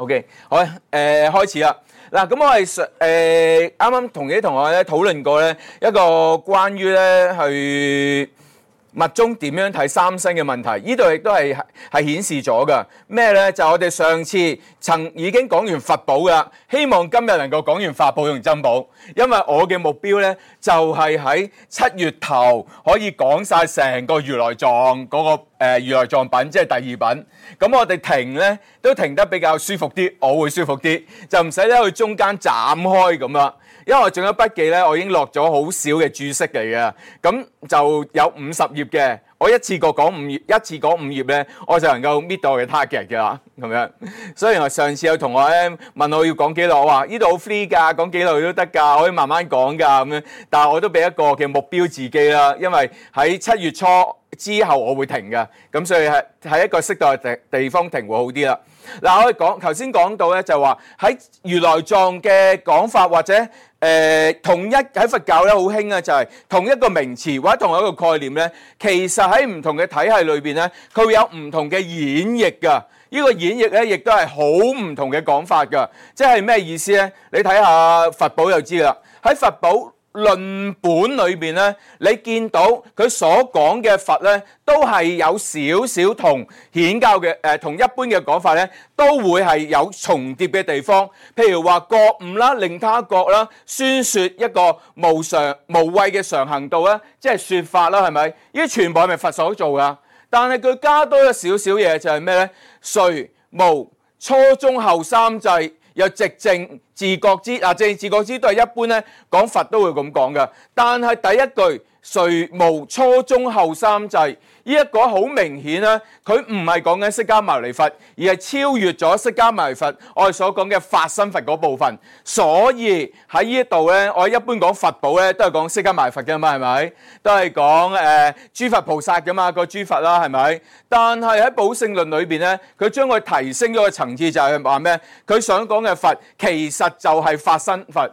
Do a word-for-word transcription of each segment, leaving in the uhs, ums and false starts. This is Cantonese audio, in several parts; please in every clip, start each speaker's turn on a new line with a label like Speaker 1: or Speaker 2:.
Speaker 1: OK， 好，誒、呃、開始啦。嗱，咁我係誒啱啱同啲同學咧討論過咧一個關於咧去密宗點樣睇三星嘅問題，呢度亦都係係顯示咗㗎。咩咧？就我哋上次曾已經講完佛寶㗎，希望今日能夠講完法寶同珍寶，因為我嘅目標咧就係喺七月頭可以講晒成個如來藏嗰、那個誒、呃、如來藏品，即係第二品。咁我哋停咧都停得比較舒服啲，我會舒服啲，就唔使咧去中間斬開咁啦。因為我仲有筆記咧，我已經落咗好少嘅注釋嚟嘅，咁就有五十頁嘅。我一次過講五頁，一次講五頁咧，我就能夠搣到我嘅 target 嘅啦，咁樣。所以我上次有同學咧問我要講幾耐，我話呢度好 free 㗎，講幾耐都得㗎，可以慢慢講㗎咁樣。但係我都俾一個嘅目標自己啦，因為喺七月初之後我會停嘅，咁所以係喺一個適當嘅地地方停會好啲啦。嗱，我哋講頭先講到咧，就話喺如來藏嘅講法或者誒、呃、同一喺佛教咧好興啊，就係同一個名詞或者同一個概念咧，其實喺唔同嘅體系裏邊咧，佢會有唔同嘅演繹㗎。呢、這個演繹咧，亦都係好唔同嘅講法㗎。即係咩意思咧？你睇下佛寶就知啦。喺佛寶論本裏邊咧，你見到佢所講嘅佛咧，都係有少少同顯教嘅誒，同一般嘅講法咧，都會係有重疊嘅地方。譬如話覺悟啦、令他覺啦、宣説一個無常無畏嘅常行道啦，即係説法啦，係咪？呢啲全部係咪佛所做噶？但係佢加多咗少少嘢，就係咩咧？垂無初中後三際。有直正自覺知啊，正自覺知都係一般咧講佛都會咁講嘅。但係第一句垂無初中後三際，呢一個好明顯咧，佢唔係講緊釋迦牟尼佛，而係超越咗釋迦牟尼佛我哋所講嘅法身佛嗰部分。所以喺呢一度咧，我一般講佛寶咧都係講釋迦牟尼佛嘅嘛，係咪？都係講誒諸佛菩薩嘅嘛，個諸佛啦，係咪？但係喺寶性論裏邊咧，佢將佢提升咗個層次，就係話咩？佢想講嘅佛其實就係法身佛，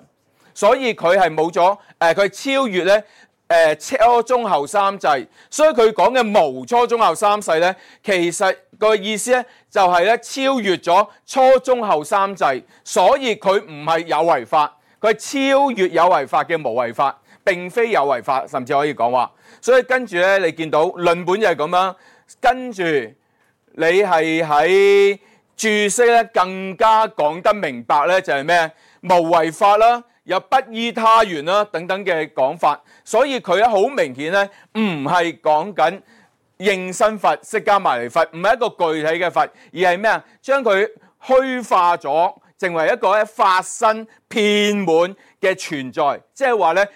Speaker 1: 所以佢係冇咗誒，佢、呃、超越咧。誒初中後三際，所以佢講嘅無初中後三世咧，其實個意思咧就係咧超越咗初中後三際，所以佢唔係有為法，佢係超越有為法嘅無為法，並非有為法，甚至可以講話。所以跟住咧，你見到論本就係咁樣，跟住你係喺注釋咧更加講得明白咧，就係咩無為法啦。有不依他緣啦等等嘅講法，所以佢咧好明顯咧唔係講緊應身佛釋迦牟尼佛，唔係一個具體嘅佛，而係咩啊？將佢虛化咗，成為一個咧法身遍滿嘅存在，即係話咧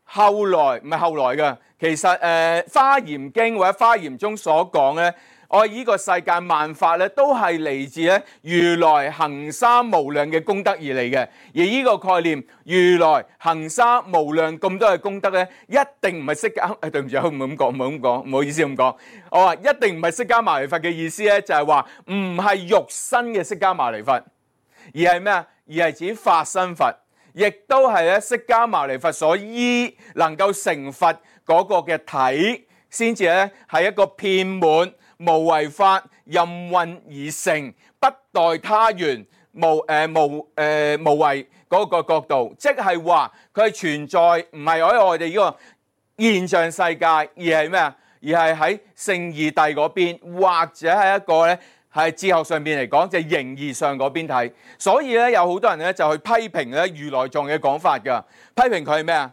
Speaker 1: 後來唔係後來嘅，其實誒、呃《華嚴經》或者《華嚴中》所講咧。我呢個世界萬法咧，都係嚟自咧如來行三無量嘅功德而嚟嘅。而呢個概念，如來行三無量咁多嘅功德咧，一定唔係釋迦。誒，對唔住，唔好咁講，唔好咁講，唔好意思咁講。我話一定唔係釋迦牟尼佛嘅意思咧，就係話唔係肉身嘅釋迦牟尼佛，而係咩啊？而係指法身佛，亦都係咧釋迦牟尼佛所依能夠成佛嗰個嘅體，先至咧係一個遍滿。無為法任運而成，不待他緣，無誒、呃、無誒、呃、無為嗰個角度，即係話佢係存在，唔係喺我哋呢個現象世界，而係咩啊？而係喺聖義諦嗰邊，或者係一個咧係哲學上邊嚟講，就係形而上嗰邊睇。所以咧有好多人咧就去批評咧如來藏嘅講法㗎，批評佢係咩啊？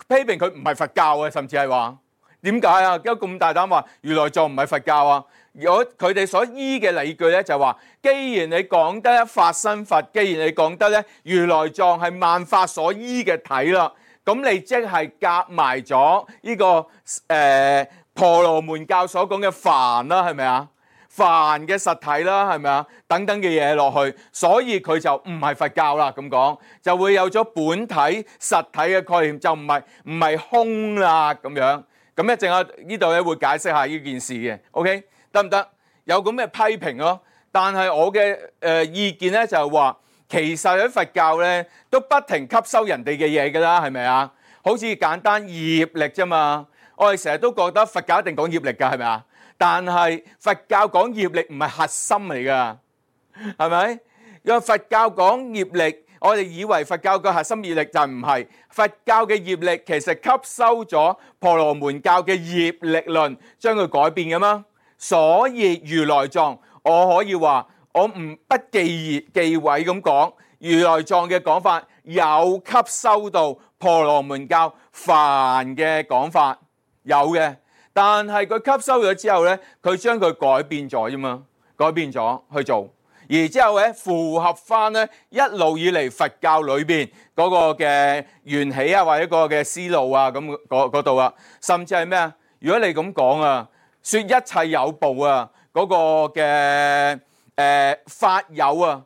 Speaker 1: 批評佢唔係佛教嘅，甚至係話。點解啊？點解咁大膽話如來藏唔係佛教啊？如果佢哋所依嘅理據咧，就話既然你講得法身佛，既然你講得咧如來藏係萬法所依嘅體啦，咁你即係夾埋咗呢個誒、呃、婆羅門教所講嘅梵啦，係咪啊？梵嘅實體啦，係咪啊？等等嘅嘢落去，所以佢就唔係佛教啦。咁講就會有咗本體實體嘅概念，就唔係唔係空啦咁樣。咁一陣間呢度咧會解釋下呢件事嘅 ，OK 得唔得？有咁嘅批評咯，但係我嘅誒、呃、意見咧就係話，其實喺佛教咧都不停吸收人哋嘅嘢㗎啦，係咪啊？好似簡單業力啫嘛，我哋成日都覺得佛教一定講業力㗎，係咪啊？但係佛教講業力唔係核心嚟㗎，係咪？因為佛教講業力，我哋以為佛教嘅核心業力就唔係，佛教嘅業力其實吸收咗婆羅門教嘅業力論，將佢改變㗎嘛。所以如來藏，我可以話我唔不忌忌諱咁講，如來藏嘅講法有吸收到婆羅門教梵嘅講法，有嘅。但係佢吸收咗之後咧，佢將佢改變咗啫嘛，改變咗去做，而之後咧符合翻咧一路以嚟佛教裏邊嗰個嘅緣起啊，或者個嘅思路啊，咁嗰度啊，甚至係咩啊？如果你咁講啊，說一切有部啊，嗰、那個嘅誒、呃、法有啊，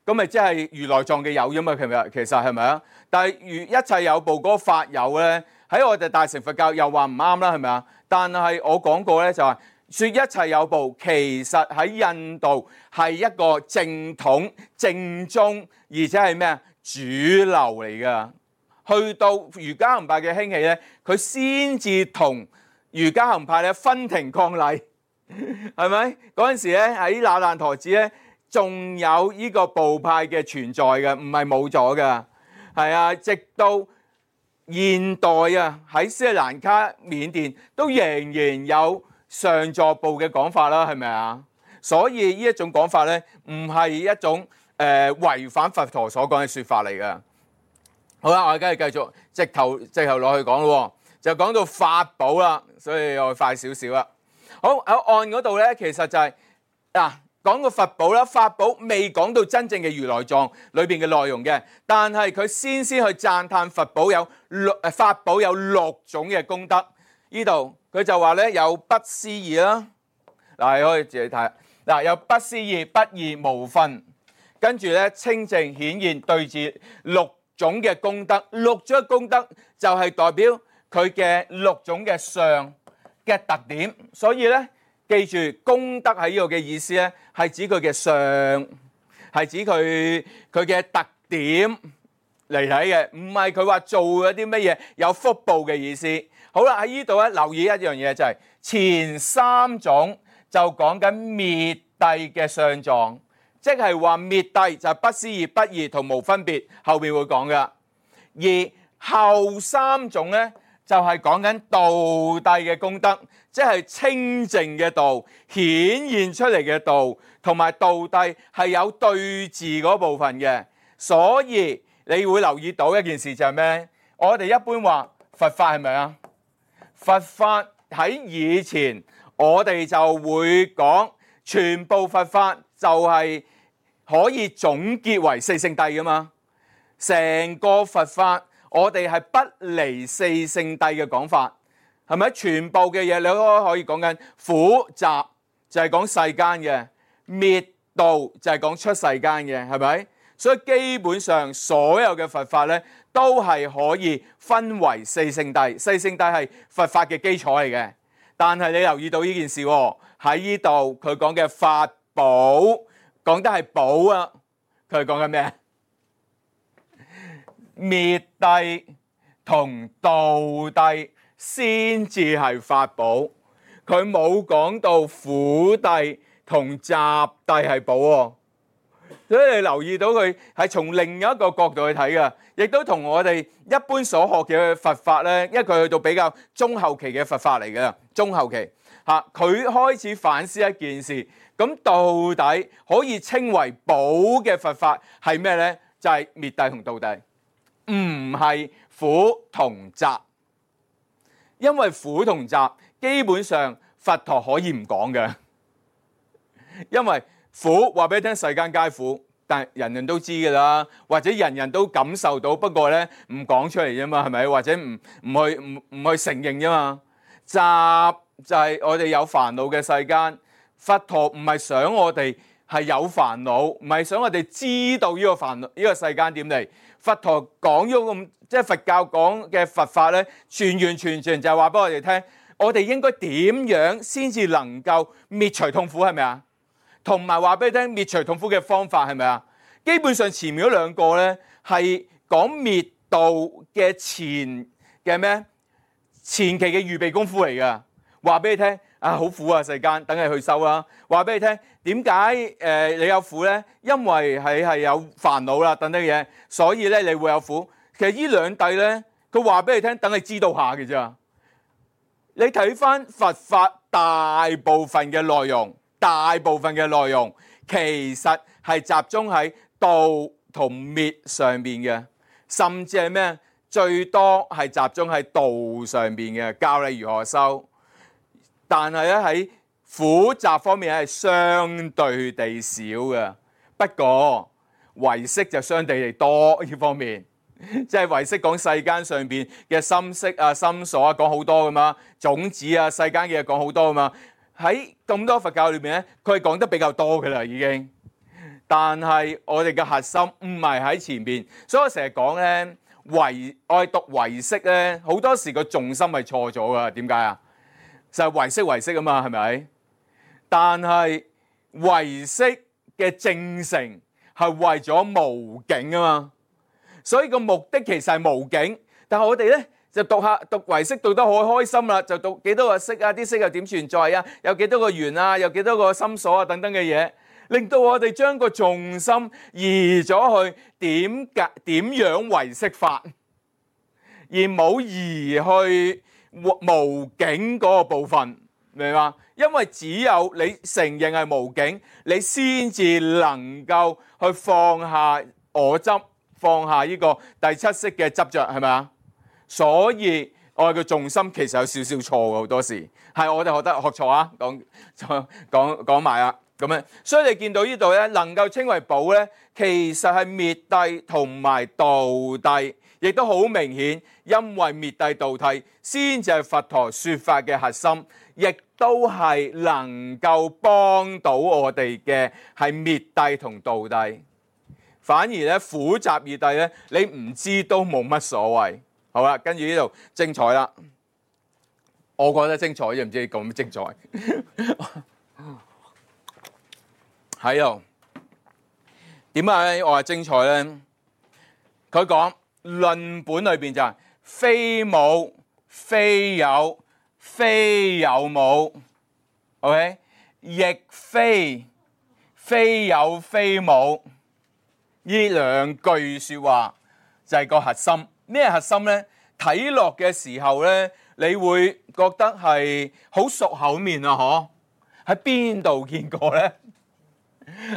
Speaker 1: 咁咪即係如來藏嘅有啫嘛？其實其實係咪啊？但係如一切有部嗰個法有咧，喺我哋大乘佛教又話唔啱啦，係咪啊？但係我講過咧，就係說一切有部，其實喺印度係一個正統、正宗，而且係咩啊？主流嚟噶。去到瑜伽行派嘅興起咧，佢先至同瑜伽行派咧分庭抗禮，係咪？嗰陣時咧喺那爛陀寺咧，仲有呢個部派嘅存在嘅，唔係冇咗噶。係啊，直到現代啊，喺斯里蘭卡、緬甸都仍然有上座部嘅講法啦，係咪啊？所以呢一種講法咧，唔係一種誒、呃、違反佛陀所講嘅説法嚟嘅。好啦，我而家繼續直頭直頭落去講咯，就講到法寶啦，所以我快少少啦。好，喺案嗰度咧，其實就係、是、嗱。講個佛寶啦，法寶未講到真正嘅如來藏裏邊嘅內容嘅，但係佢先先去讚歎佛寶有六誒法寶有六種嘅功德。呢度佢就話咧有不思議啦，嗱你可以自己睇，嗱有不思議、不二、無分，跟住咧清淨顯現對治六種嘅功德，六種嘅功德就係代表佢嘅六種嘅相嘅特點，所以咧。記住功德喺呢度嘅意思咧，係指佢嘅相，係指佢佢嘅特點嚟睇嘅，唔係佢話做咗啲乜嘢有福報嘅意思。好啦，喺呢度咧留意一樣嘢就係、是、前三種就講緊滅諦嘅相狀，即係話滅諦就係不思議、不二同無分別，後面會講噶。而後三種咧就係講緊道諦嘅功德。即係清淨嘅道顯現出嚟嘅道，同埋道諦係有對治嗰部分嘅，所以你會留意到一件事就係咩？我哋一般話佛法係咪啊？佛法喺以前我哋就會講全部佛法就係可以總結為四聖諦噶嘛，成個佛法我哋係不離四聖諦嘅講法。係咪全部嘅嘢你都可以講緊苦集就係講世間嘅，滅道就係講出世間嘅，係咪？所以基本上所有嘅佛法咧都係可以分為四聖諦，四聖諦係佛法嘅基礎嚟嘅。但係你留意到呢件事喎，喺呢度佢講嘅法寶講得係寶啊，佢係講緊咩？滅諦同道諦先至係法寶，佢冇講到苦諦同集諦係寶喎，所以你留意到佢係從另一個角度去睇嘅，亦都同我哋一般所學嘅佛法咧，因為佢去到比較中後期嘅佛法嚟嘅，中後期嚇佢開始反思一件事，咁到底可以稱為寶嘅佛法係咩咧？就係滅諦同道諦，唔係苦同集。因為苦同集基本上佛陀可以唔講嘅，因為苦話俾你聽世間皆苦，但係人人都知㗎啦，或者人人都感受到，不過咧唔講出嚟啫嘛，係咪？或者唔唔去唔唔去承認啫嘛。集就係我哋有煩惱嘅世間，佛陀唔係想我哋係有煩惱，唔係想我哋知道呢個煩惱呢個世間點嚟。佛陀講咗咁，即係佛教講嘅佛法咧，完完全全就係話俾我哋聽，我哋應該點樣先至能夠滅除痛苦，係咪啊？同埋話俾你聽滅除痛苦嘅方法係咪啊？基本上前面嗰兩個咧係講滅道嘅前嘅咩？前期嘅預備功夫嚟㗎。話俾你聽啊好苦啊世間，等你去修啦。話俾你聽，點解誒你有苦咧？因為係係有煩惱啦，等等嘢，所以咧你會有苦。其實呢兩弟咧，佢話俾你聽，等你知道下嘅咋。你睇翻佛法大部分嘅內容，大部分嘅內容其實係集中喺道同滅上邊嘅，甚至係咩？最多係集中喺道上邊嘅，教你如何修。但係咧喺苦集方面係相對地少嘅。不過唯識就相對地多呢方面。即係唯識講世間上邊嘅心識啊、心所啊，講好多噶嘛，種子啊、世間嘅嘢講好多噶嘛。喺咁多佛教裏邊咧，佢係講得比較多噶啦，已經。但係我哋嘅核心唔係喺前邊，所以我成日講咧，唯我哋讀唯識咧，好多時個重心係錯咗噶。點解啊？就係唯識唯識啊嘛，係咪？但係唯識嘅正成係為咗無境啊嘛。所以個目的其實係無境，但係我哋咧就讀下讀唯識讀得好開心啦，就讀幾多個識啊，啲識又點存在啊，有幾多個緣啊，有幾多個心所啊等等嘅嘢，令到我哋將個重心移咗去點解點樣唯識法，而冇移去無境嗰個部分，明嘛？因為只有你承認係無境，你先至能夠去放下我執。放下呢個第七識嘅執着，係咪啊？所以我哋嘅重心其實有少少錯嘅，好多時係我哋學得學錯啊！講講講埋啊，咁樣，所以你見到呢度咧，能夠稱為寶咧，其實係滅諦同埋道諦，亦都好明顯，因為滅諦道諦先至係佛陀說法嘅核心，亦都係能夠幫到我哋嘅係滅諦同道諦。反而咧苦集二諦咧，你唔知都冇乜所謂。好啦，跟住呢度精彩啦，我覺得精彩，又唔知你咁精彩。喺度點解我話精彩咧？佢講論本裏邊就係非無、非有、非有無 ，OK， 亦非非有非無。呢兩句說話就係個核心。咩核心呢？睇落嘅時候呢，你會覺得係好熟口面啊！嗬，喺邊度見過呢？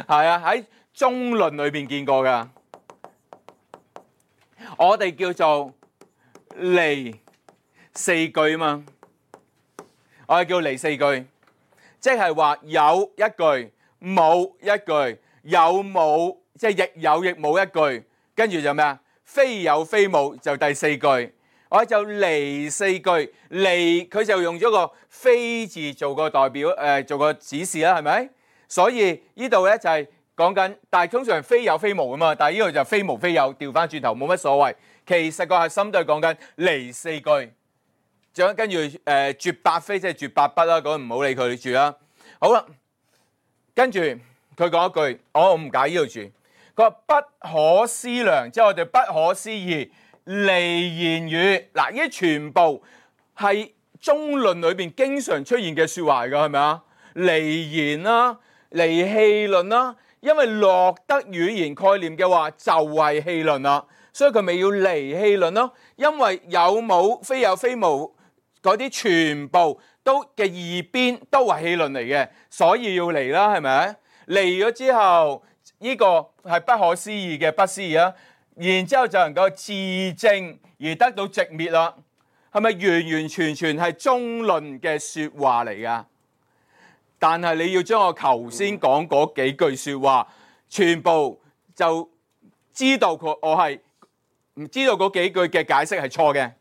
Speaker 1: 係啊，喺中論裏邊見過噶。我哋叫做離四句啊嘛，我哋叫離四句，即係話有一句，冇一句，有冇？即係亦有亦冇一句，跟住就咩啊？非有非無就第四句，我就離四句，離佢就用咗個非字做個代表，誒、呃、做個指示啦，係咪？所以呢度咧就係講緊，但係通常非有非無啊嘛，但係呢度就非無非有，調翻轉頭冇乜所謂。其實個核心都係講緊離四句，仲有跟住誒絕百非即係絕百不啦，嗰唔好理佢住啦。好啦，跟住佢講一句，我唔解呢度住。佢話不可思量，即係我哋不可思議離言語。嗱，呢啲全部係中論裏邊經常出現嘅説話嚟㗎，係咪啊？離言啦，離戲論啦，因為落得語言概念嘅話就係戲論啦，所以佢咪要離戲論咯。因為有冇非有非無嗰啲全部都嘅二邊都係戲論嚟嘅，所以要離啦，係咪？離咗之後。呢個係不可思議嘅不思議啊，然之後就能夠自證而得到寂滅啦。係咪完完全全係中論嘅説話嚟㗎？但係你要將我頭先講嗰幾句説話，全部就知道佢我係唔知道嗰幾句嘅解釋係錯嘅。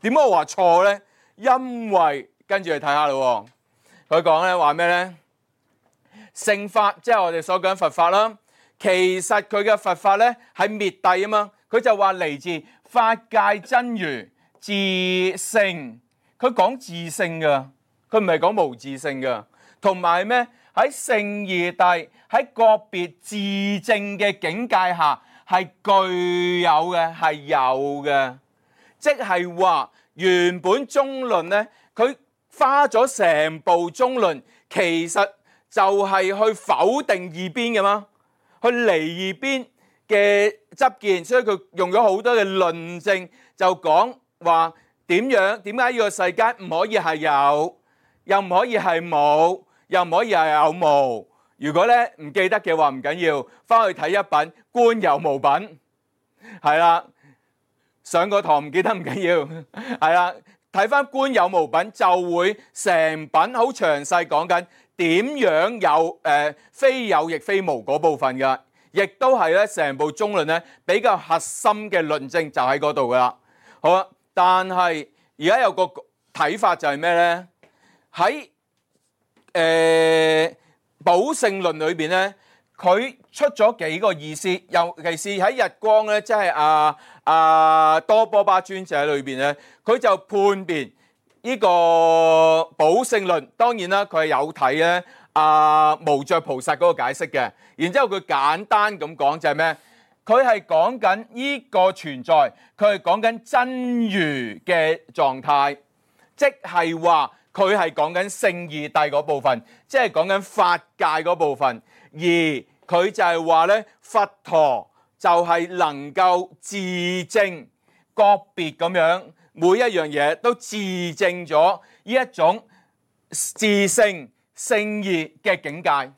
Speaker 1: 點解我話錯呢？因為跟住去睇下咯，佢講咧話咩呢？聖法即係我哋所講佛法啦。其實佢嘅佛法咧係滅諦啊嘛，佢就話嚟自法界真如自性，佢講自性噶，佢唔係講無自性噶。同埋咩喺聖義諦喺個別自證嘅境界下係具有嘅，係有嘅，即係話原本中論咧，佢花咗成部中論，其實就係去否定異邊嘅嘛，去離異邊嘅執見，所以佢用咗好多嘅論證，就講話點樣點解呢個世界唔可以係有，又唔可以係冇，又唔可以係有無。如果咧唔記得嘅話唔緊要，翻去睇一品觀有無品，係啦。上個堂唔記得唔緊要，係啦。睇翻觀有無品就會成品好詳細講緊點樣有誒、呃、非有亦非無嗰部分㗎，亦都係咧成部中論咧比較核心嘅論證就喺嗰度噶啦。好啦，但係而家有個睇法就係咩咧？喺誒寶性論裏邊咧，佢出咗幾個意思，尤其是喺日光咧，即係阿阿多波巴尊者裏邊咧，佢就判別呢個寶性論。當然啦，佢係有睇咧阿無著菩薩嗰個解釋嘅。然之後佢簡單咁講就係咩？佢係講緊呢個存在，佢係講緊真如嘅狀態，即係話佢係講緊聖義諦嗰部分，即係講緊法界嗰部分。而佢就係話咧，佛陀就係能夠自證個別咁樣，每一樣嘢都自證咗呢一種自性聖義嘅境界，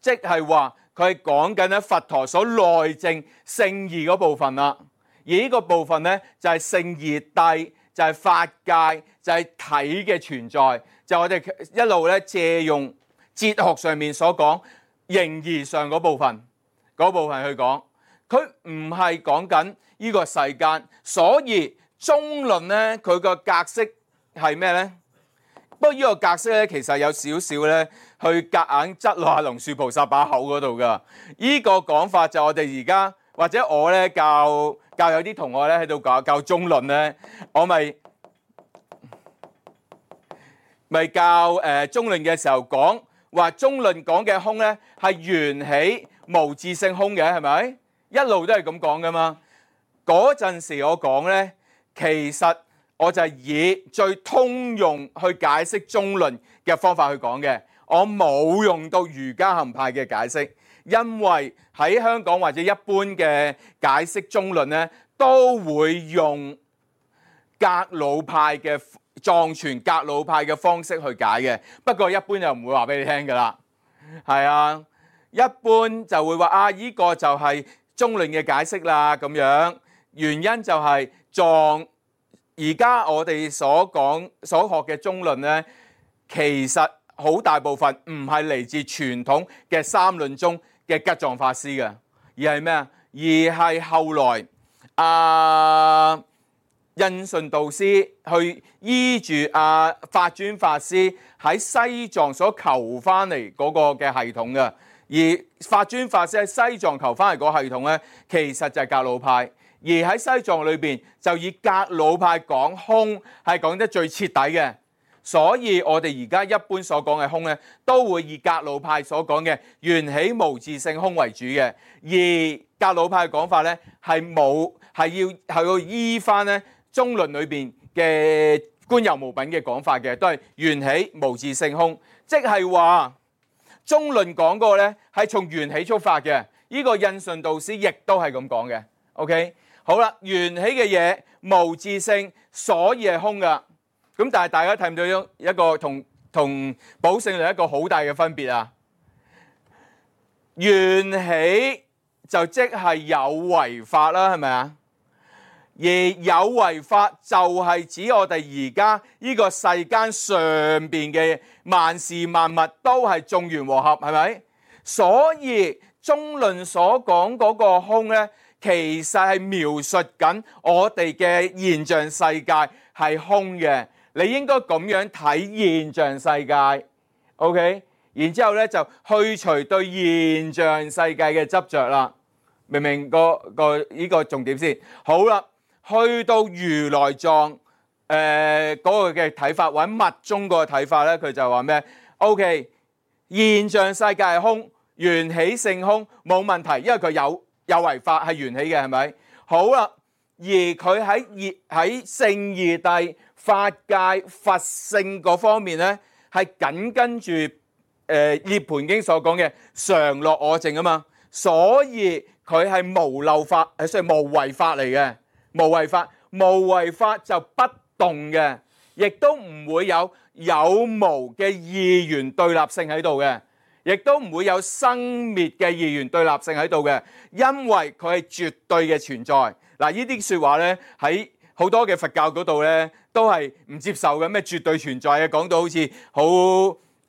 Speaker 1: 即係話佢係講緊咧佛陀所內證聖義嗰部分啦。而呢個部分咧就係聖義諦，就係法界，就係體嘅存在，就係我哋一路咧借用哲學上面所講形而上嗰部分，嗰部分去講，佢唔係講緊呢個世間，所以中論咧佢個格式係咩咧？不過呢個格式咧其實有少少咧去夾硬擠落阿龍樹菩薩把口嗰度噶。呢個講法就我哋而家或者我咧教教有啲同學咧喺度教教中論咧，我咪咪教誒中論嘅時候講。話中論講嘅空咧係緣起無自性空嘅，係咪？一路都係咁講噶嘛。嗰陣時我講咧，其實我就係以最通用去解釋中論嘅方法去講嘅，我冇用到瑜伽行派嘅解釋，因為喺香港或者一般嘅解釋中論咧，都會用格魯派嘅藏傳格魯派嘅方式去解嘅，不過一般就唔會話俾你聽噶啦，係啊，一般就會話啊，依、這個就係中論嘅解釋啦咁樣。原因就係藏而家我哋所講所學嘅中論咧，其實好大部分唔係嚟自傳統嘅三論宗嘅吉藏法師嘅，而係咩啊？而係後來啊。印順導師去依住阿法尊法師喺西藏所求翻嚟嗰個嘅系統嘅，而法尊法師喺西藏求翻嚟嗰個系統咧，其實就係格魯派，而喺西藏裏邊就以格魯派講空係講得最徹底嘅，所以我哋而家一般所講嘅空咧，都會以格魯派所講嘅緣起無自性空為主嘅，而格魯派嘅講法咧係冇係要係要依翻咧。中論裏邊嘅觀有無品嘅講法嘅，都係緣起無自性空，即係話中論講嗰個咧係從緣起出發嘅。呢個印順導師亦都係咁講嘅。OK， 好啦，緣起嘅嘢無自性，所以係空噶。咁但係大家睇唔到一個同同寶性論一個好大嘅分別啊？緣起就即係有為法啦，係咪啊？而有為法就係指我哋而家呢個世間上邊嘅萬事萬物都係眾緣和合，係咪？所以中論所講嗰個空咧，其實係描述緊我哋嘅現象世界係空嘅。你應該咁樣睇現象世界 ，OK？ 然之後咧就去除對現象世界嘅執着啦。明唔明個個呢個重點先？好啦。去到如來藏誒嗰個嘅睇法，或者密宗嗰個睇法咧，佢就話咩 ？O.K. 現象世界係空，緣起性空冇問題，因為佢有有為法係緣起嘅，係咪？好啦，而佢喺二喺聖二帝法界佛性嗰方面咧，係緊跟住誒《涅槃經》所講嘅常樂我淨啊嘛，所以佢係無漏法，係所以無為法嚟嘅，無為法，無為法就不動嘅，亦都唔會有有無嘅二元對立性喺度嘅，亦都唔會有生滅嘅二元對立性喺度嘅，因為佢係絕對嘅存在。嗱，呢啲説話咧喺好多嘅佛教嗰度咧都係唔接受嘅，咩絕對存在啊，講到好似好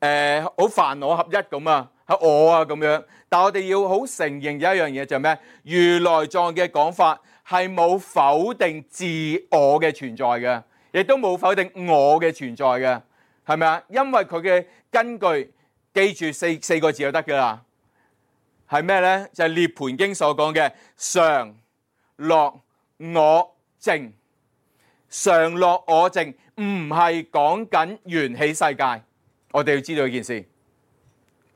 Speaker 1: 誒好凡我合一咁啊，喺我啊咁樣。但我哋要好承認有一樣嘢就係咩？如來藏嘅講法係冇否定自我嘅存在嘅，亦都冇否定我嘅存在嘅，係咪啊？因為佢嘅根據記住四四個字就得㗎啦，係咩咧？就係《涅槃經》所講嘅常樂我淨。常樂我淨唔係講緊緣起世界，我哋要知道呢件事。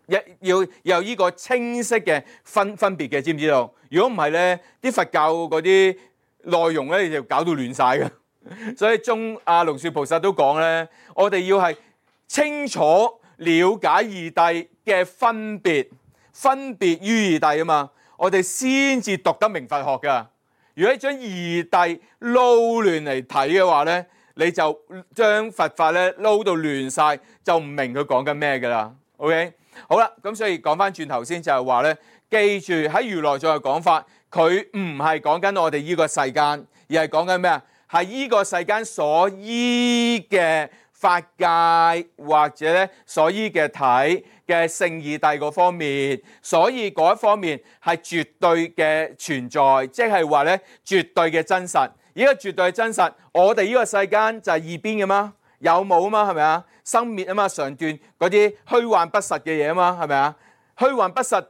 Speaker 1: 一要有呢個清晰嘅分分別嘅，知唔知道？如果唔係咧，啲佛教嗰啲內容咧就搞到亂晒嘅。所以中阿龍樹菩薩都講咧，我哋要係清楚了解二諦嘅分別，分別於二諦啊嘛，我哋先至讀得明佛學噶。如果你將二諦撈亂嚟睇嘅話咧，你就將佛法咧撈到亂晒，就唔明佢講緊咩噶啦。OK。好啦，咁所以講翻轉頭先就係話咧，記住喺如來藏嘅講法，佢唔係講緊我哋呢個世間，而係講緊咩啊？係呢個世間所依嘅法界或者咧所依嘅體嘅聖二諦嗰方面，所以嗰一方面係絕對嘅存在，即係話咧絕對嘅真實。呢個絕對嘅真實，我哋呢個世間就係二邊嘅嘛，有冇啊嘛，係咪啊？生滅啊嘛，常斷嗰啲虛幻不實嘅嘢啊嘛，係咪啊？虛幻不實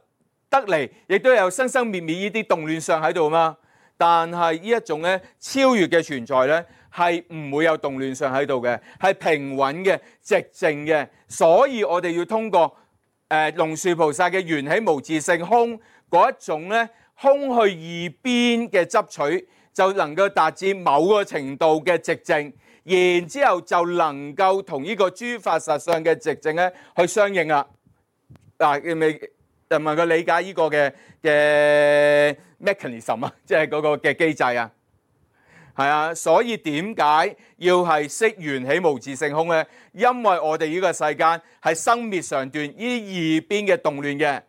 Speaker 1: 得嚟，亦都有生生滅滅呢啲動亂相喺度啊嘛。但係呢一種咧超越嘅存在咧，係唔會有動亂相喺度嘅，係平穩嘅、寂靜嘅。所以我哋要通過誒龍樹菩薩嘅緣起無自性空嗰一種咧空去二邊嘅執取，就能夠達至某個程度嘅寂靜。然之後就能夠同呢個諸法實相嘅寂靜咧去相應啦。嗱，你咪就問佢理解呢個嘅嘅 mechanism 啊，即係嗰個嘅機制啊。係啊，所以點解要係識緣起無自性空咧？因為我哋呢個世間係生滅常斷呢二邊嘅動亂嘅，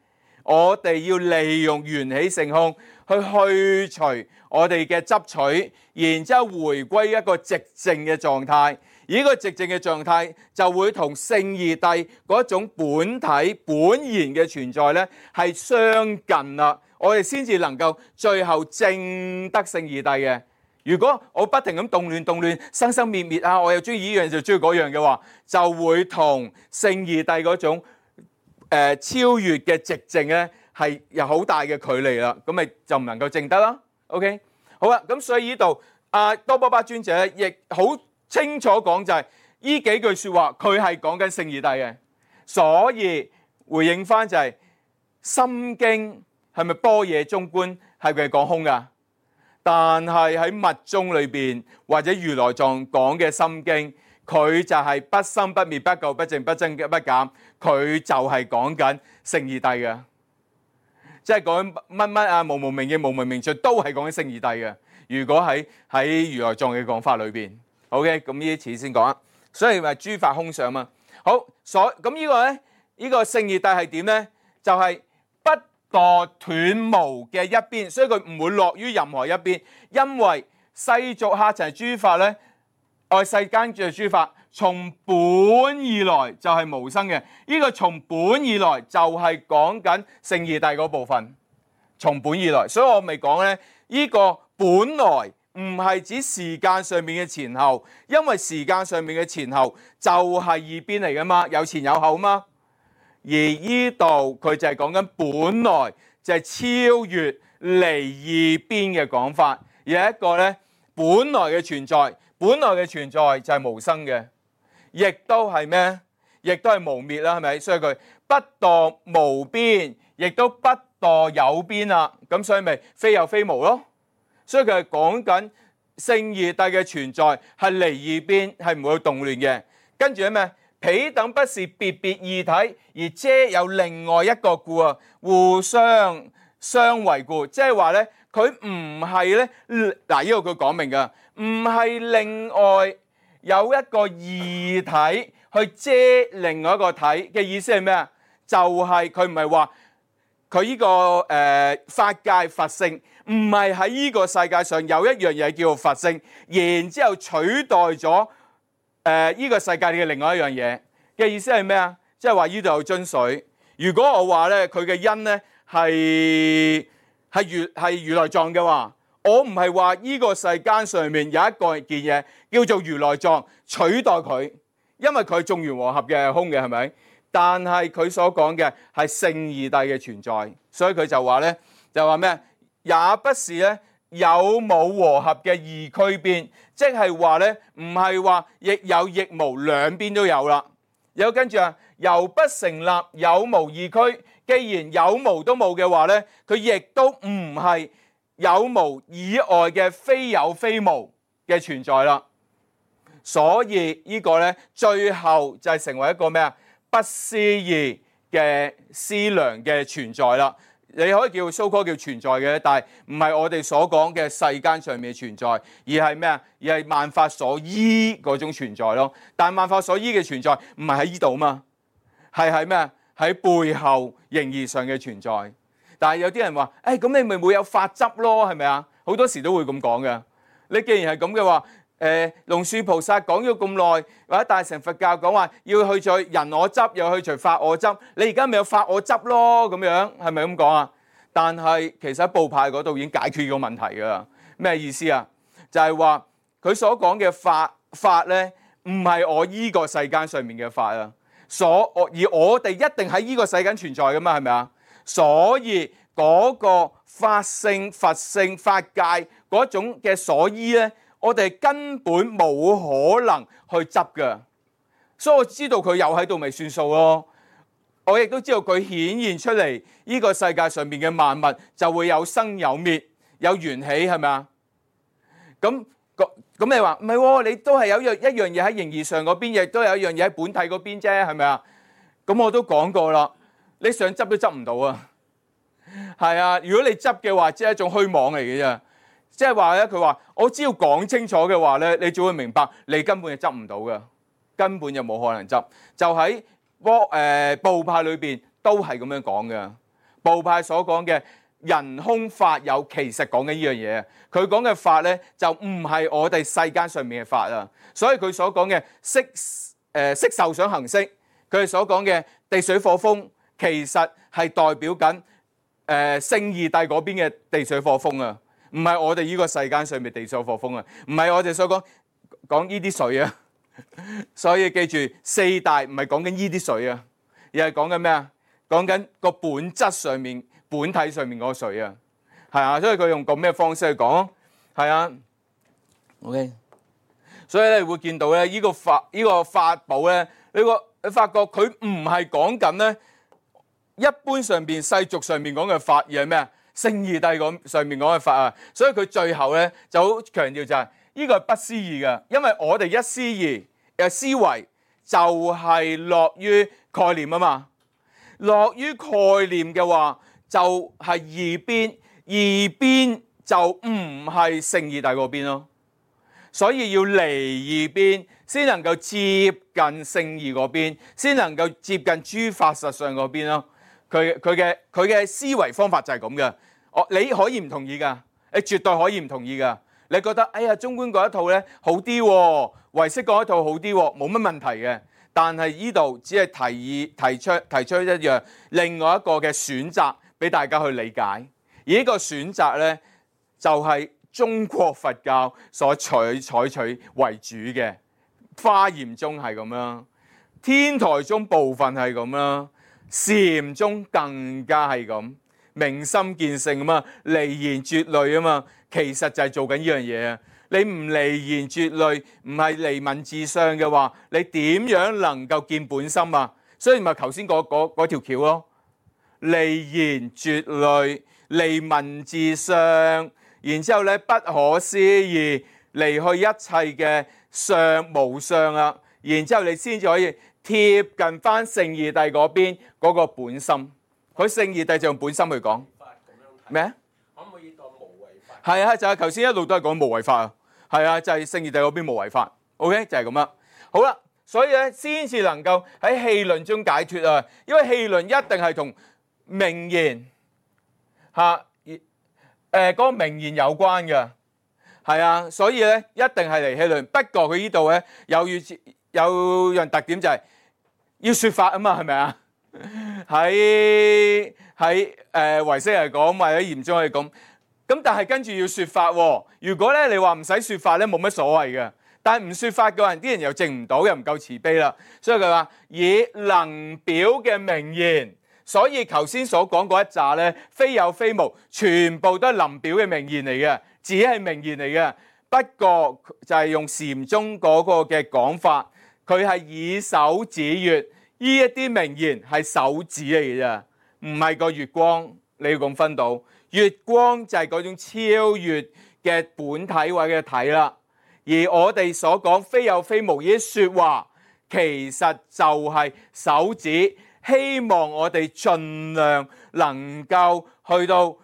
Speaker 1: 我哋要利用緣起性空去去除我哋嘅執取，然之後回歸一個寂靜嘅狀態。而呢個寂靜嘅狀態就會同聖二諦嗰種本體本然嘅存在咧係相近啦。我哋先至能夠最後證得聖二諦嘅。如果我不停咁動亂動亂生生滅滅啊，我又中意呢樣就中意嗰樣嘅話，就會同聖二諦嗰種、呃、超越嘅寂靜咧係有好大嘅距離啦。咁咪就唔能夠證得啦。OK， 好啦，咁所以呢度阿多波巴尊者亦好清楚講就係、是、呢幾句説話，佢係講緊聖二諦嘅。所以回應翻就係、是《心經》係咪般若中觀係佢係講空㗎？但係喺密宗裏邊或者如來藏講嘅心經，佢就係不生不滅不垢不淨不增不減，佢就係講緊聖二諦嘅，即係講乜乜啊無無明嘅無無明盡都係講緊聖二諦嘅。如果喺喺如來藏嘅講法裏邊 ，OK， 咁呢啲詞先講啊。所以咪諸法空相嘛。好，所咁呢個咧，呢、呢個聖二諦係點咧？就係、是、不墮斷無嘅一邊，所以佢唔會落於任何一邊，因為世俗客塵諸法咧，愛世間嘅諸法，從本而來就係無生嘅。呢、這個從本而來就係講緊聖二諦嗰部分，從本而來。所以我咪講咧，呢、這個本來唔係指時間上面嘅前後，因為時間上面嘅前後就係二邊嚟噶嘛，有前有後嘛。而呢度佢就係講緊本來就係超越離二邊嘅講法，而係一個咧本來嘅存在，本來嘅存在就係無生嘅，亦都係咩？亦都係無滅啦，係咪？所以佢不墮無邊，亦都不墮有邊啦。咁所以咪非有非無咯。所以佢係講緊聖而帝嘅存在係離異邊，係唔會動亂嘅。跟住係咩？彼等不是別別異體，而遮有另外一個故啊，互相相為故，即係話咧，佢唔係咧，嗱呢個佢講明㗎，唔係另外有一個異體去遮另外一個體嘅意思係咩啊？就係佢唔係話佢呢個誒、呃、法界佛性，唔係喺呢個世界上有一樣嘢叫做佛性，然之後取代咗。誒依、呃這個世界嘅另外一樣嘢嘅意思係咩啊？即係話呢度有樽水。如果我話咧佢嘅因咧係係如係如來藏嘅話，我唔係話呢個世間上面有一個件嘢叫做如來藏取代佢，因為佢係眾緣和合嘅空嘅，係咪？但係佢所講嘅係聖義帝嘅存在，所以佢就話咧就話咩？也不是咧。有冇和合嘅異區邊，即係話咧，唔係話亦有亦無，兩邊都有啦。有跟住啊，由不成立有無異區，既然有無都冇嘅話咧，佢亦都唔係有無以外嘅非有非無嘅存在啦。所以呢個咧，最後就係成為一個咩啊？不思議嘅思量嘅存在啦。你可以叫 so-called 叫存在嘅，但係唔係我哋所講嘅世間上面嘅存在，而係咩啊？而係萬法所依嗰種存在咯。但係萬法所依嘅存在唔係喺呢度嘛，係喺咩啊？喺背後形而上嘅存在。但係有啲人話，誒咁你咪會有法執咯，係咪啊？好多時都會咁講嘅。你既然係咁嘅話，誒龍樹菩薩講咗咁耐，或者大乘佛教講話要去除人我執，又去除法我執，你而家咪有法我執咯，咁樣係咪咁講啊？但係其實喺部派嗰度已經解決個問題㗎啦。咩意思啊？就係話佢所講嘅法法咧，唔係我依個世間上面嘅法啊，所而我哋一定喺依個世間存在㗎嘛，係咪啊？所以嗰個法性、佛性、法界嗰種嘅所依咧，我哋根本冇可能去執㗎，所以我知道佢有喺度咪算數咯。我亦都知道佢顯現出嚟，呢個世界上面嘅萬物就會有生有滅，有緣起，係咪啊？咁咁你話唔係喎？你都係有一樣一樣嘢喺形而上嗰邊，亦都有一樣嘢喺本體嗰邊啫，係咪啊？咁我都講過啦，你想執都執唔到啊！係啊，如果你執嘅話，即係一種虛妄嚟嘅啫。即係話咧，佢話我只要講清楚嘅話咧，你就會明白，你根本就執唔到嘅，根本就冇可能執。就喺波誒部派裏邊都係咁樣講嘅。部派所講嘅人空法有，其實講緊呢樣嘢。佢講嘅法咧，就唔係我哋世間上面嘅法啊。所以佢所講嘅色誒色受想行識，佢哋所講嘅地水火風，其實係代表緊誒聖義帝嗰邊嘅地水火風啊。唔係我哋呢個世間上面地水火風啊，唔係我哋所講講呢啲水啊。所以記住，四大唔係講緊呢啲水啊，而係講緊咩啊？講緊個本質上面、本體上面嗰個水啊，係啊。所以佢用個咩方式去講？係啊。OK。所以咧，你會見到咧，呢個法呢個法寶咧，你個你發覺佢唔係講緊咧一般上邊世俗上面講嘅法，而係咩啊？聖義帝講上面講嘅法啊。所以佢最後咧就好強調就係呢個係不思議嘅，因為我哋一思議嘅思維就係落於概念啊嘛。落於概念嘅話，就係二邊，二邊就唔係聖義帝嗰邊咯。所以要離二邊，先能夠接近聖義嗰邊，先能夠接近諸法實相嗰邊咯。佢佢嘅佢嘅思維方法就係咁嘅。我你可以唔同意㗎，你絕對可以唔同意㗎。你覺得哎呀，中觀嗰一套咧好啲喎，唯識嗰一套好啲喎，冇乜問題嘅。但係呢度只係提議提出提出一樣另外一個嘅選擇俾大家去理解。而呢個選擇咧就係中國佛教所採採取為主嘅。華嚴宗係咁啦，天台宗部分係咁啦，禪宗更加係咁，明心見性啊嘛，離言絕類啊嘛。其實就係做緊呢樣嘢啊！你唔離言絕類，唔係離文字上嘅話，你點樣能夠見本心啊？所以咪頭先嗰嗰嗰條橋咯，離言絕類，離文字上，然之後咧不可思議，離去一切嘅相無相啦，然之後你先至可以貼近翻聖義帝嗰邊嗰個本心。佢聖義帝就用本心去講咩啊？
Speaker 2: 可唔可以當無為法？
Speaker 1: 係啊，就係頭先一路都係講無為法啊。係啊，就係聖義帝嗰邊無為法。OK， 就係咁啦。好啦，所以咧先至能夠喺戲論中解脫啊。因為戲論一定係同名言嚇誒嗰個名言有關嘅。係啊，所以咧一定係嚟戲論。不過佢呢度咧有有樣特點就係要説法啊嘛，係咪啊？喺喺誒唯識嚟講，或者嚴宗嚟講。咁但係跟住要説法喎。如果咧你話唔使説法咧，冇乜所謂嘅。但係唔説法嘅人，啲人又證唔到，又唔夠慈悲啦。所以佢話以能表嘅名言，所以頭先所講嗰一紮咧，非有非無，全部都係能表嘅名言嚟嘅，只係名言嚟嘅。不過就係用禪宗嗰個嘅講法，佢係以手指月，呢一啲名言係手指嚟嘅啫，唔係個月光。你要咁分到。月光就係嗰種超越嘅本體或者體啦，而我哋所講非有非無呢啲説話，其實就係手指，希望我哋盡量能夠去到誒、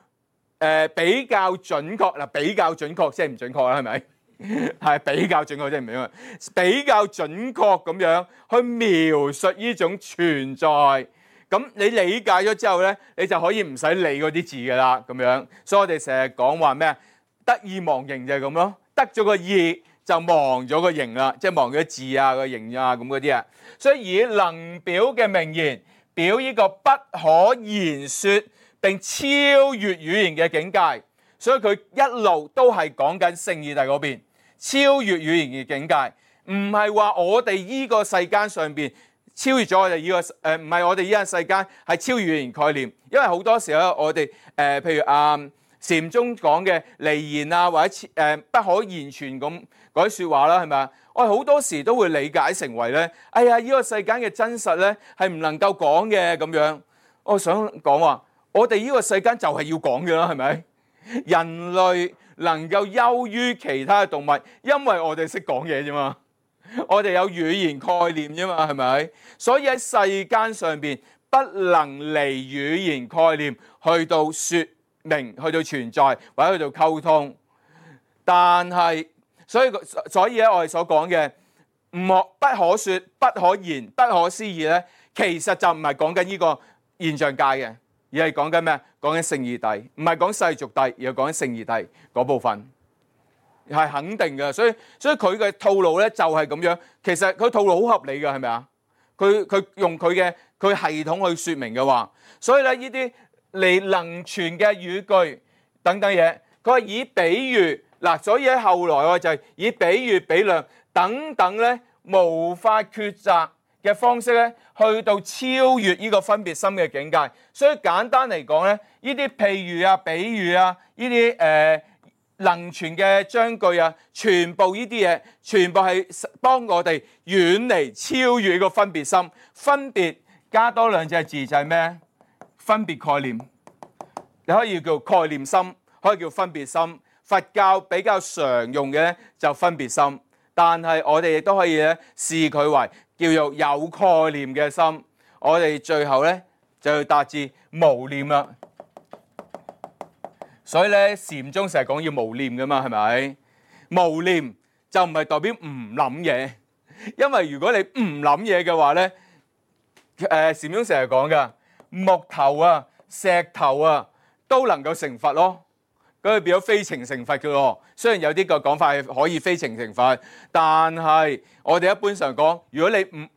Speaker 1: 呃、比較準確嗱，比較準確即係唔準確啦，係咪？係比較準確即係唔準確，比較準確咁樣去描述呢種存在。咁你理解咗之後咧，你就可以唔使理嗰啲字㗎啦，咁樣。所以我哋成日講話咩？得意忘形就係咁咯，得咗個意就忘咗個形啦，即係忘咗字啊、個形啊咁嗰啲啊。所以以能表嘅名言，表呢個不可言説並超越語言嘅境界。所以佢一路都係講緊聖義帝嗰邊超越語言嘅境界，唔係話我哋依個世間上邊。超越咗我哋呢個誒，唔係我哋呢個世間，係超越語言概念。因為好多時候我哋誒、呃，譬如啊禪宗講嘅離言啊，或者誒、呃、不可言傳咁嗰啲説話啦，係咪啊？我哋好多時都會理解成為咧，哎呀，呢、這個世間嘅真實咧係唔能夠講嘅咁樣。我想講話，我哋呢個世間就係要講嘅啦，係咪？人類能夠優於其他嘅動物，因為我哋識講嘢啫嘛。我哋有語言概念啫嘛，係咪？所以喺世間上邊不能離語言概念去到説明、去到存在或者去到溝通。但係，所以所以咧，我哋所講嘅唔可不可説、不可言、不可思議咧，其實就唔係講緊呢個現象界嘅，而係講緊咩？講緊聖義帝，唔係講世俗帝，而係講緊聖義帝嗰部分。係肯定嘅，所以所以佢嘅套路咧就係咁樣。其實佢套路好合理嘅，係咪啊？佢佢用佢嘅佢系統去説明嘅話，所以咧呢啲嚟能傳嘅語句等等嘢，佢係以比喻嗱，所以喺後來我就係以比喻、比量等等咧，無法抉擇嘅方式咧，去到超越呢個分別心嘅境界。所以簡單嚟講咧，呢啲譬喻啊、比喻啊，呢啲誒。呃能傳嘅章句啊，全部呢啲嘢，全部係幫我哋遠離超越個分別心。分別加多兩隻字就係咩？分別概念，你可以叫概念心，可以叫分別心。佛教比較常用嘅咧就分別心，但係我哋亦都可以咧視佢為叫做有概念嘅心。我哋最後咧就要達至無念啦。所以咧，禪宗成日講要無念噶嘛，係咪？無念就唔係代表唔諗嘢，因為如果你唔諗嘢嘅話咧，誒禪宗成日講噶木頭啊、石頭啊都能夠成佛咯，咁佢變咗非情成佛嘅咯。雖然有啲個講法係可以非情成佛，但係我哋一般上講，如果你唔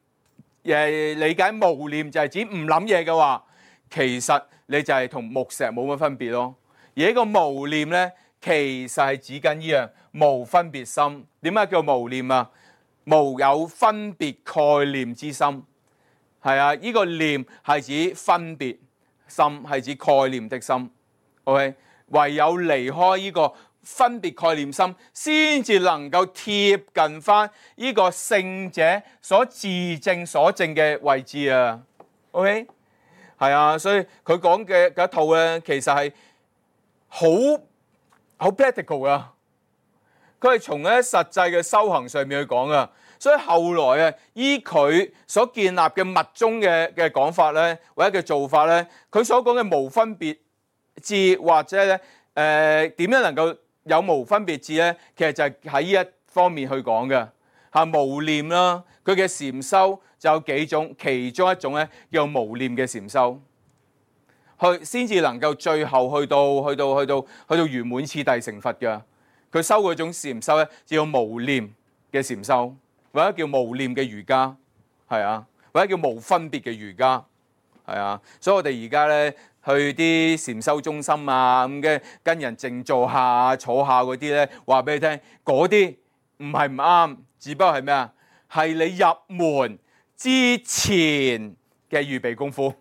Speaker 1: 誒理解無念就係指唔諗嘢嘅話，其實你就係同木石冇乜分別咯。而呢個無念咧，其實係指緊呢樣無分別心。點解叫無念啊？無有分別概念之心，係啊！呢個念係指分別心，係指概念的心。OK，唯有離開呢個分別概念心，先至能夠貼近翻呢個聖者所自證所證嘅位置啊。OK，係啊，所以佢講嘅嗰一套咧，其實係好好 practical 啊！佢係從咧實際嘅修行上面去講噶。所以後來啊，依佢所建立嘅密宗嘅嘅講法咧，或者嘅做法咧，佢所講嘅無分別智或者咧誒點樣能夠有無分別智咧，其實就係喺呢一方面去講嘅嚇。無念啦，佢嘅禪修就有幾種，其中一種咧叫無念嘅禪修，去先至能夠最後去到去到去到去到圓滿次第成佛嘅。佢修嗰種禪修咧，叫無念嘅禪修。或者叫無念嘅瑜伽，係啊，或者叫無分別嘅瑜伽，係啊。所以我哋而家咧去啲禪修中心啊，咁嘅跟人靜坐下、坐下嗰啲咧，話俾你聽，嗰啲唔係唔啱，只不過係咩啊？係你入門之前嘅預備功夫。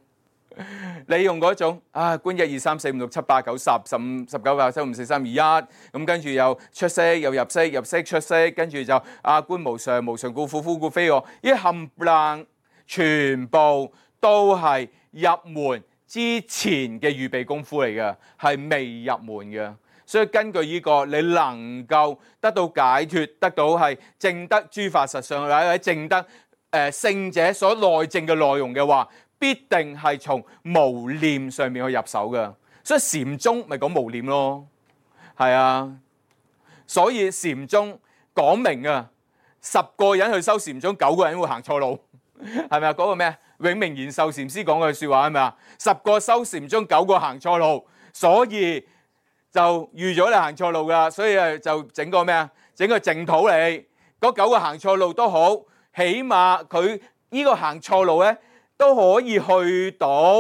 Speaker 1: 你用嗰種啊，觀一二三四五六七八九十十五十九八十七五四三二一，咁跟住又出息又入息入息出息，跟住就啊觀無常無常故苦苦故非我，呢冚唪唥全部都係入門之前嘅預備功夫嚟嘅，係未入門嘅。所以根據呢個，你能夠得到解脫，得到係證得諸法實相，或者證得誒聖者所內證嘅內容嘅話，必定係從無念上面去入手嘅。所以禪宗咪講無念咯，係啊。所以禪宗講明啊，十個人去修禪宗，九個人會行錯路，係咪啊？嗰個咩永明延壽禪師講嘅説話係咪啊？十個修禪宗，九個行錯路，所以就預咗你行錯路噶，所以誒就整個咩啊？整個淨土嚟，嗰九個行錯路都好，起碼佢呢個行錯路咧，都可以去到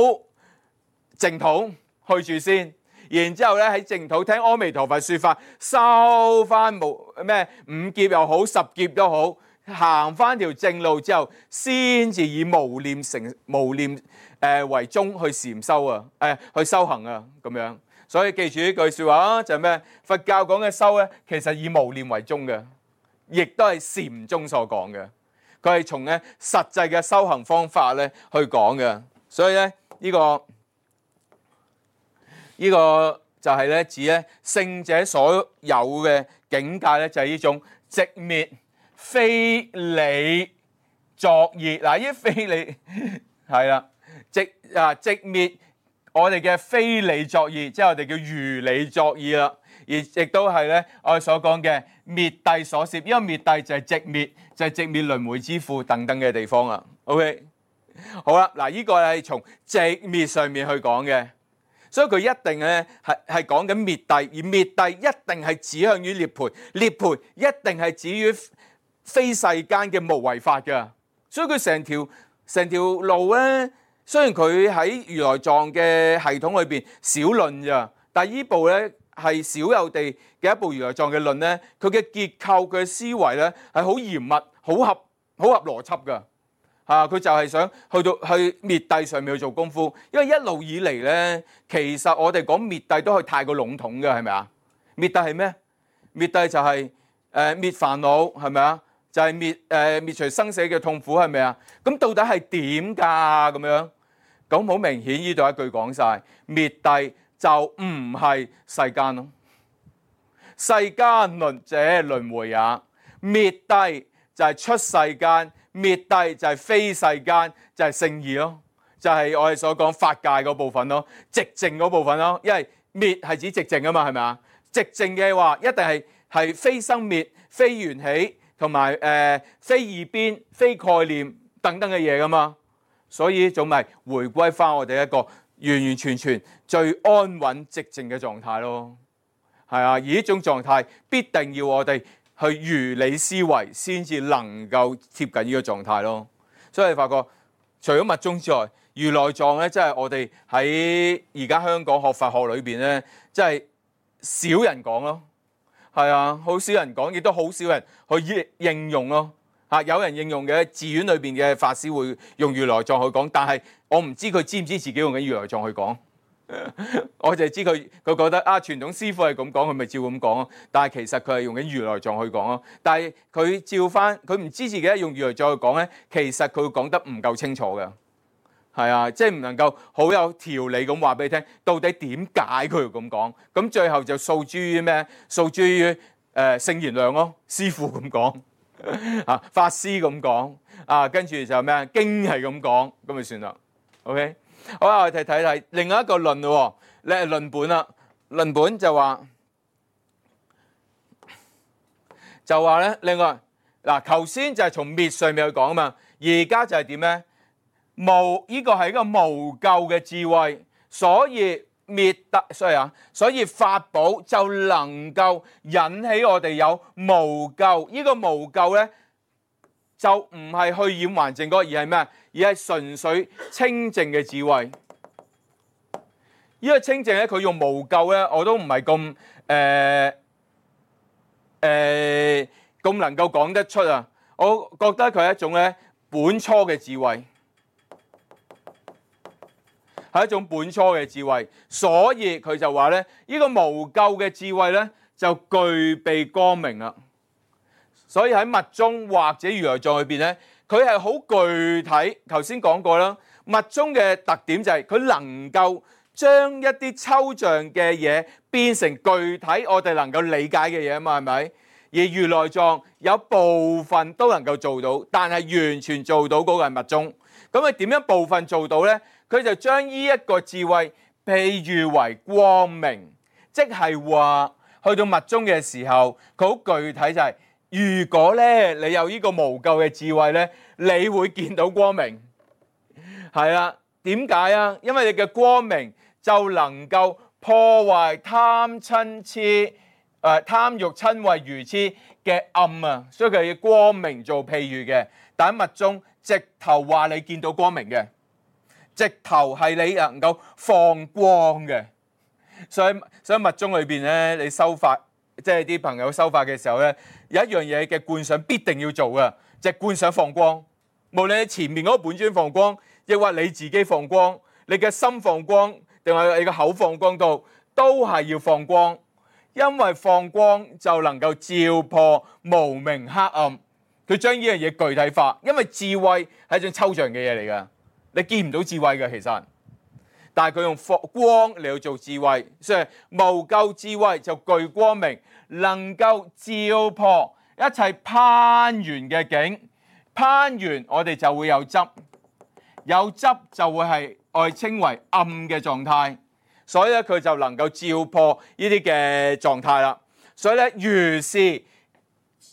Speaker 1: 淨土去住先，然之後咧喺淨土聽阿彌陀佛説法，收翻無咩五劫又好，十劫都好，行翻條正路之後，先至以無念成無念誒、呃、為宗去禪修啊，誒、呃、去修行啊咁樣。所以記住呢句説話啊，就係咩？佛教講嘅修咧，其實以無念為宗嘅，亦都係禪宗所講嘅。佢係從咧實際嘅修行方法咧去講嘅，所以咧呢個呢個就係咧指咧聖者所有嘅境界咧，就係呢種寂滅非理作意。嗱，呢啲非理係啦，寂啊寂滅我哋嘅非理作意，即係我哋叫如理作意啦。而亦都係咧，我哋所講嘅滅諦所攝，因為滅諦就係寂滅，就係寂滅輪迴之父等等嘅地方啊。OK， 好啦，嗱，呢個係從寂滅上面去講嘅，所以佢一定咧係係講緊滅諦，而滅諦一定係指向於涅槃，涅槃一定係指於非世間嘅無為法嘅。所以佢成條成條路咧，雖然佢喺如來藏嘅系統裏邊少論咋，但係呢部咧。係少有地嘅一部如來藏嘅論咧，佢嘅結構、佢嘅思維咧係好嚴密、好合、好合邏輯㗎嚇。佢就係想去到去滅諦上面去做功夫，因為一路以嚟咧，其實我哋講滅諦都係太過籠統嘅，係咪啊？滅諦係咩？滅諦就係、是、誒、呃、滅煩惱，係咪啊？就係、是、滅誒、呃、滅除生死嘅痛苦，係咪啊？咁到底係點㗎？咁樣咁好明顯，呢度一句講晒滅諦。就唔係世間咯，世間輪者輪迴也，滅諦就係出世間，滅諦就係非世間，就係聖義咯，就係、是、我哋所講法界嗰部分咯，寂靜嗰部分咯，因為滅係指寂靜啊嘛，係咪啊？寂靜嘅話一定係係非生滅、非緣起同埋誒非二邊、非概念等等嘅嘢噶嘛，所以總咪回歸翻我哋一個完完全全最安穩寂靜嘅狀態咯，係啊！而呢種狀態必定要我哋去如理思維，先至能夠貼近呢個狀態咯。所以你發覺，除咗密宗之外，如來藏咧，即係我哋喺而家香港學佛學裏邊咧，即係少人講咯，係啊，好少人講，亦都好少人去應用咯。嚇，有人應用嘅，寺院裏邊嘅法師會用如來藏去講，但係我唔知佢知唔知自己用緊如來藏去講，我就係知佢佢覺得啊，傳統師傅係咁講，佢咪照咁講咯。但係其實佢係用緊如來藏去講咯。但係佢照翻，佢唔知自己用如來藏去講咧，其實佢會講得唔夠清楚嘅，係啊，即係唔能夠好有條理咁話俾你聽，到底點解佢要咁講？咁最後就訴諸於咩？訴諸於誒聖賢良咯，師傅咁講啊，法師咁講啊，跟住就咩啊經係咁講，咁咪算啦。OK， 好啦，我哋睇睇另外一個論咯，咧論本啦，論本就話就話咧，另外嗱，頭先就係從滅上面去講啊嘛，而家就係點咧？無呢個係一個無咎嘅智慧，所以滅得，所以啊，所以法寶就能夠引起我哋有無咎。呢個無咎咧，就唔係去染還淨嗰，而係咩？而係純粹清淨嘅智慧。呢個清淨咧，佢用無咎咧，我都唔係咁誒誒咁能夠講得出啊！我覺得佢係一種咧本初嘅智慧。係一種本初嘅智慧，所以佢就話咧，呢個無咎嘅智慧咧就具備光明啦。所以喺密宗或者如來藏裏邊咧，佢係好具體。頭先講過啦，密宗嘅特點就係佢能夠將一啲抽象嘅嘢變成具體，我哋能夠理解嘅嘢啊嘛，係咪？而如來藏有部分都能夠做到，但係完全做到嗰個係密宗。咁佢點樣部分做到咧？佢就將呢一個智慧譬喻為光明，即係話去到密宗嘅時候，佢好具體就係、是，如果咧你有呢個無咎嘅智慧咧，你會見到光明。係啦，點解啊？因為你嘅光明就能夠破壞貪嗔痴、誒、呃、貪欲嗔恚愚痴嘅暗啊，所以佢以光明做譬喻嘅。但喺密宗直頭話你見到光明嘅。直頭係你能夠放光嘅，所以所以密宗裏邊咧，你修法，即係啲朋友修法嘅時候咧，有一樣嘢嘅觀想必定要做嘅，就係觀想放光。無論你前面嗰個本尊放光，亦或你自己放光，你嘅心放光，定係你嘅口放光度，都係要放光，因為放光就能夠照破無明黑暗。佢將呢樣嘢具體化，因為智慧係一種抽象嘅嘢嚟㗎。你見唔到智慧嘅其實，但係佢用光嚟去做智慧，所以無咎智慧就具光明，能夠照破一切攀緣嘅境。攀緣我哋就會有執，有執就會係我哋稱為暗嘅狀態，所以咧佢就能夠照破呢啲嘅狀態啦。所以咧如是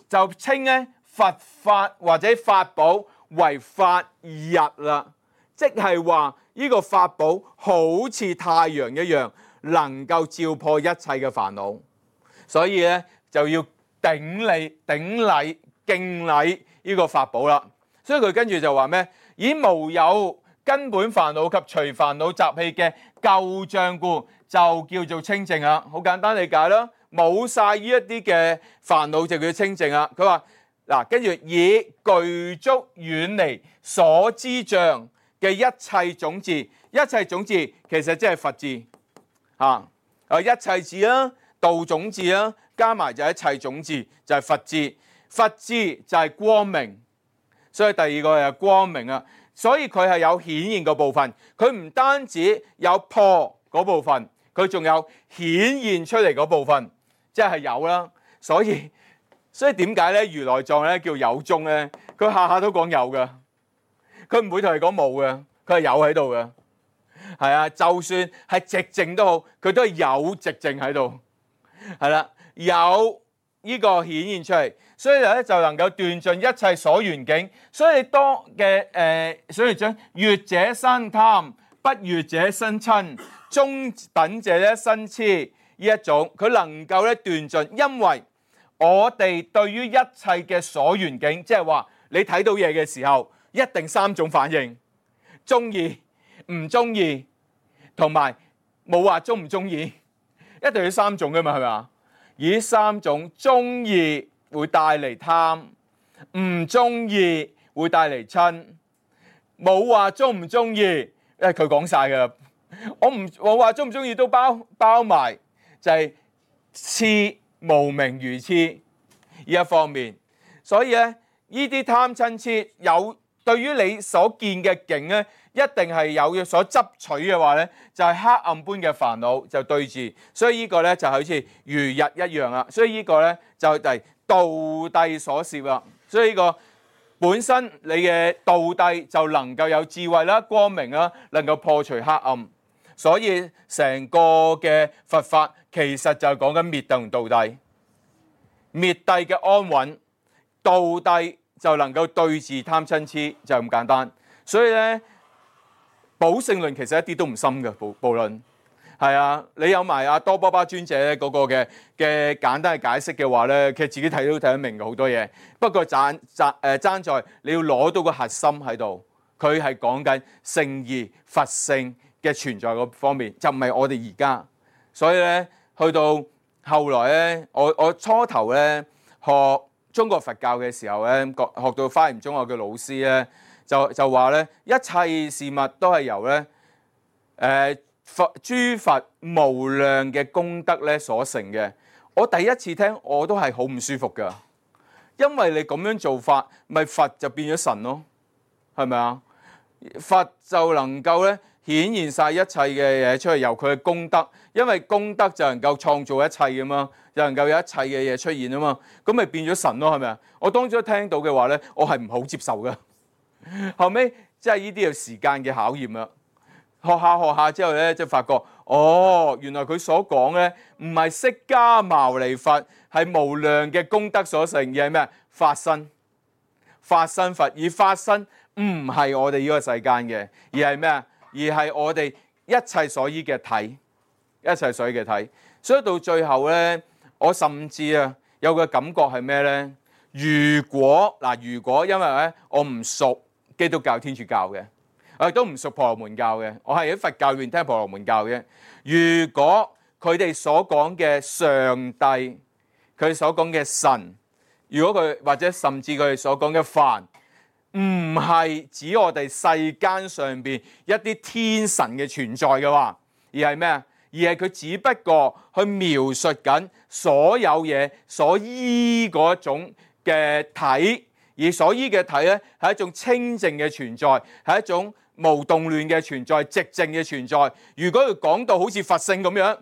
Speaker 1: 就稱咧佛法或者法寶為法日啦。即係話呢個法寶好似太陽一樣，能夠照破一切嘅煩惱，所以咧就要頂禮、頂禮、敬禮呢個法寶啦。所以佢跟住就話咩？以無有根本煩惱及除煩惱習氣嘅舊障故，就叫做清淨啦。好簡單理解啦，冇晒呢一啲嘅煩惱就叫清淨啦。佢話嗱，跟住以具足遠離所知障嘅一切種智，一切種智其實即係佛智嚇，啊一切智啦，道種智啦，加埋就係一切種智，就係佛智。佛智就係光明，所以第二個係光明啊。所以佢係有顯現個部分，佢唔單止有破嗰部分，佢仲有顯現出嚟嗰部分，即係有啦。所以所以點解咧？如來藏咧叫有宗咧，佢下下都講有㗎。佢唔會同你講冇嘅，佢係有喺度嘅，係啊，就算係寂靜都好，佢都係有寂靜喺度，係啦，有呢個顯現出嚟，所以咧就能夠斷盡一切所緣境。所以你當嘅誒，所以將悅者生貪，不悅者生瞋，中等者咧生痴，呢一種佢能夠咧斷盡，因為我哋對於一切嘅所緣境，即係話你睇到嘢嘅時候。一定三種反應，中意、唔中意，同埋冇話中唔中意，一定要三種㗎嘛，係咪啊？而三種中意會帶嚟貪，唔中意會帶嚟瞋，冇話中唔中意，因為佢講晒㗎，我唔我話中唔中意都包包埋，就係痴無明愚痴呢一方面，所以咧呢啲貪瞋痴有。對於你所見嘅境咧，一定係有所執取嘅話咧，就係、是、黑暗般嘅煩惱就對峙，所以呢個咧就好似如日一樣啦。所以呢個咧就係道諦所攝啦。所以呢個本身你嘅道諦就能夠有智慧啦、光明啦，能夠破除黑暗。所以成個嘅佛法其實就係講緊滅諦同道諦，滅諦嘅安穩，道諦就能夠對治貪嗔痴，就咁簡單。所以咧，寶性論其實一啲都唔深嘅，寶寶論係啊，你有埋阿多波巴尊者咧嗰個嘅嘅簡單嘅解釋嘅話咧，其實自己睇都睇得明嘅好多嘢。不過爭爭誒爭在你要攞到個核心喺度，佢係講緊聖義佛性嘅存在嗰方面，就唔係我哋而家。所以咧，去到後來咧，我我初頭咧學中國佛教嘅時候咧，學學到花蓮中學嘅老師咧，就就話咧，一切事物都係由咧誒、呃、佛諸佛無量嘅功德咧所成嘅。我第一次聽我都係好唔舒服噶，因為你咁樣做法，咪佛就變咗神咯，係咪啊？佛就能夠咧顯現晒一切嘅嘢出嚟，由佢嘅功德，因為功德就能夠創造一切噶嘛，就能夠有一切嘅嘢出現啊嘛，咁咪變咗神咯，係咪啊？我當初聽到嘅話咧，我係唔好接受噶。後尾即係呢啲有時間嘅考驗啦，學下學下之後咧，就發覺哦，原來佢所講咧唔係釋迦牟尼佛係無量嘅功德所成，而係咩？法身，法身佛，而法身唔係我哋呢個世間嘅，而係咩啊？而係我哋一切所依嘅體，一切所依嘅體。所以到最後咧，我甚至啊有個感覺係咩咧？如果嗱，如果因為咧我唔熟基督教、天主教嘅，我亦都唔熟婆羅門教嘅，我係喺佛教裏面聽婆羅門教嘅。如果佢哋所講嘅上帝，佢哋所講嘅神，如果佢或者甚至佢哋所講嘅梵，唔係指我哋世間上邊一啲天神嘅存在嘅話，而係咩啊？而係佢只不過去描述緊所有嘢所依嗰種嘅體，而所依嘅體咧係一種清淨嘅存在，係一種無動亂嘅存在，寂靜嘅存在。如果佢講到好似佛性咁樣，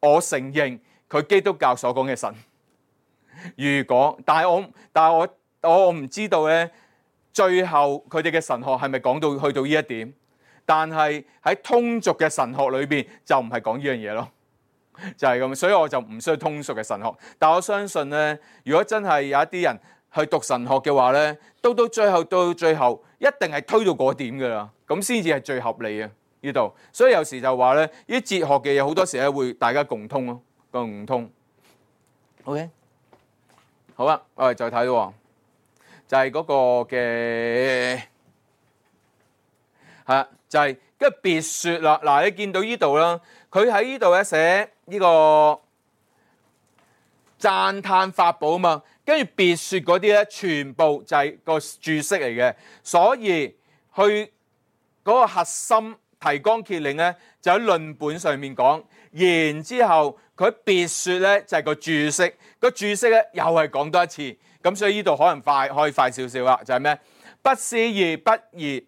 Speaker 1: 我承認佢基督教所講嘅神。如果，但係我，但係我，我唔知道咧。最後佢哋嘅神學係咪講到去到呢一點？但係喺通俗嘅神學裏邊就唔係講呢樣嘢咯，就係咁。所以我就唔需要通俗嘅神學。但我相信咧，如果真係有一啲人去讀神學嘅話咧，到到最後到最後一定係推到嗰點㗎啦，咁先至係最合理嘅呢度。所以有時就話咧，呢啲哲學嘅嘢好多時咧會大家共通咯，共通。OK， 好啦，我哋再睇喎。就係嗰個嘅係就係跟住別説啦。嗱，你見到呢度啦，佢喺呢度咧寫呢個讚歎法寶啊嘛，跟住別説嗰啲咧，全部就係個注釋嚟嘅。所以去嗰個核心提綱挈領咧，就喺論本上面講。然之後佢別説咧就係個注釋，個注釋咧又係講多一次。咁所以呢度可能快，可以快少少啦，就係咩？不思議不異，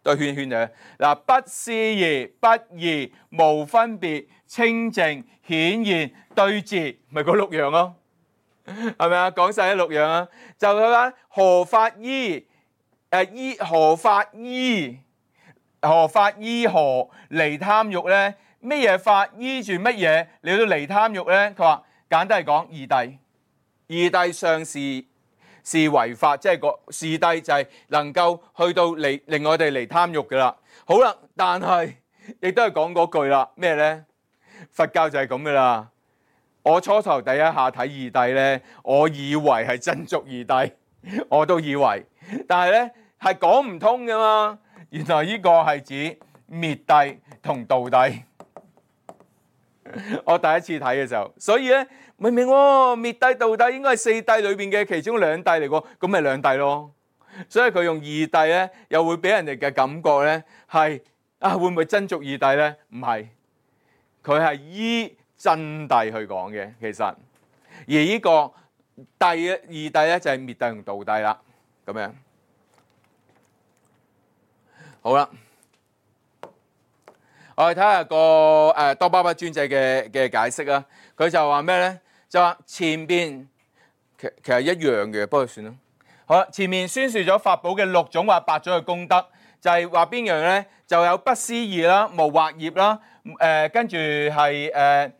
Speaker 1: 對圈圈嘅嗱，不思議不異，無分別，清淨顯現對治，咪嗰六樣咯，係咪啊？講晒啲六樣啊，就佢話何法依？誒依何法依？何法依何離貪欲咧？咩嘢法依住乜嘢你都離貪欲咧？佢話簡單嚟講，二諦。二諦上是是為法，即係個二諦就係能夠去到離令我哋離貪欲嘅啦。好啦，但係亦都係講嗰句啦，咩咧？佛教就係咁嘅啦。我初頭第一下睇二諦咧，我以為係真俗二諦，我都以為，但係咧係講唔通嘅嘛。原來呢個係指滅諦同道諦。我第一次睇嘅時候，所以咧。明明喎，滅諦道諦應該係四諦裏邊嘅其中兩諦嚟喎，咁咪兩諦咯。所以佢用二諦咧，又會俾人哋嘅感覺咧係啊，會唔會真俗二諦咧？唔係，佢係依真諦去講嘅。其實而呢個諦二諦咧就係滅諦同道諦啦。咁樣好啦，我哋睇下個誒多巴不專制嘅嘅解釋啊。佢就話咩咧？就話前邊其其實一樣嘅，不過算啦。好啦，前面宣説咗法寶嘅六種或八種嘅功德，就係話邊樣咧？就有不思議啦、無惑業啦，誒跟住係誒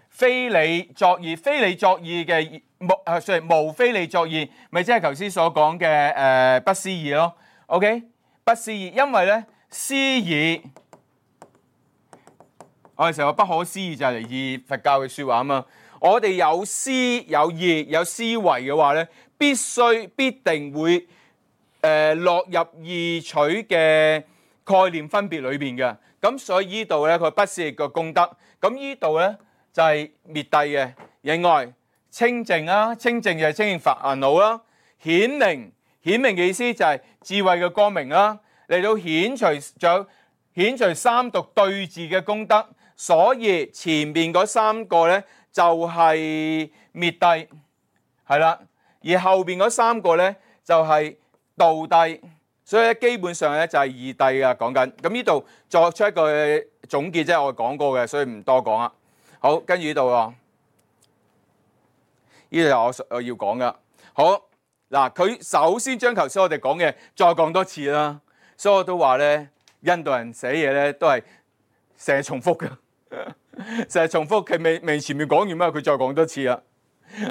Speaker 1: 非理作意、非理作意嘅無啊，sorry無非理作意，咪即係頭先所講嘅誒不思議咯。OK， 不思議，因為咧思議，我哋成日話不可思議就係嚟自佛教嘅説話啊嘛。我哋有思有意有思維嘅話咧，必須必定會誒、呃、落入二取嘅概念分別裏邊嘅。咁所以呢度咧佢不思議嘅功德，咁呢度咧就係滅諦嘅。另外清淨啦，清淨就係清淨煩惱啦。顯明，顯明嘅意思就係智慧嘅光明啦，嚟到顯除仲有顯除三毒對治嘅功德。所以前面嗰三個咧就係滅諦，係啦，而後邊嗰三個咧就係道諦，所以咧基本上咧就係二諦啊講緊。咁呢度作出一個總結，即係我講過嘅，所以唔多講啦。好，跟住呢度喎，呢度我我要講噶。好嗱，佢首先將頭先我哋講嘅再講多次啦，所以我都話咧，印度人寫嘢咧都係成日重複嘅。成日重複，佢未未前面講完嘛，佢再講多次啦。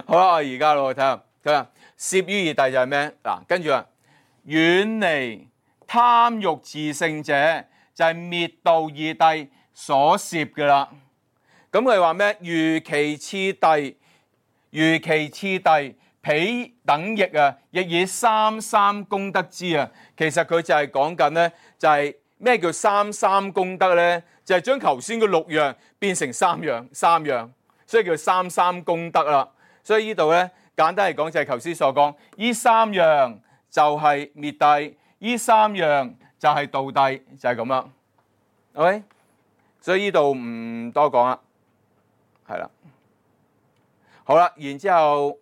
Speaker 1: 好啦，我而家落去睇下，睇下攝於二諦就係咩？嗱，跟住啊，遠離貪欲自性者，就係滅道二諦所攝嘅啦。咁佢話咩？如其次諦，如其次諦，彼等亦啊，亦以三三功德之啊。其實佢就係講緊咧，就係、是、咩叫三三功德咧？就係將頭先嘅六樣變成三樣，三樣，所以叫三三功德啦。所以呢度咧簡單嚟講就係頭先所講，呢三樣就係滅諦，呢三樣就係道諦，就係咁啦。OK， 所以呢度唔多講啦，係啦。好啦，然之後，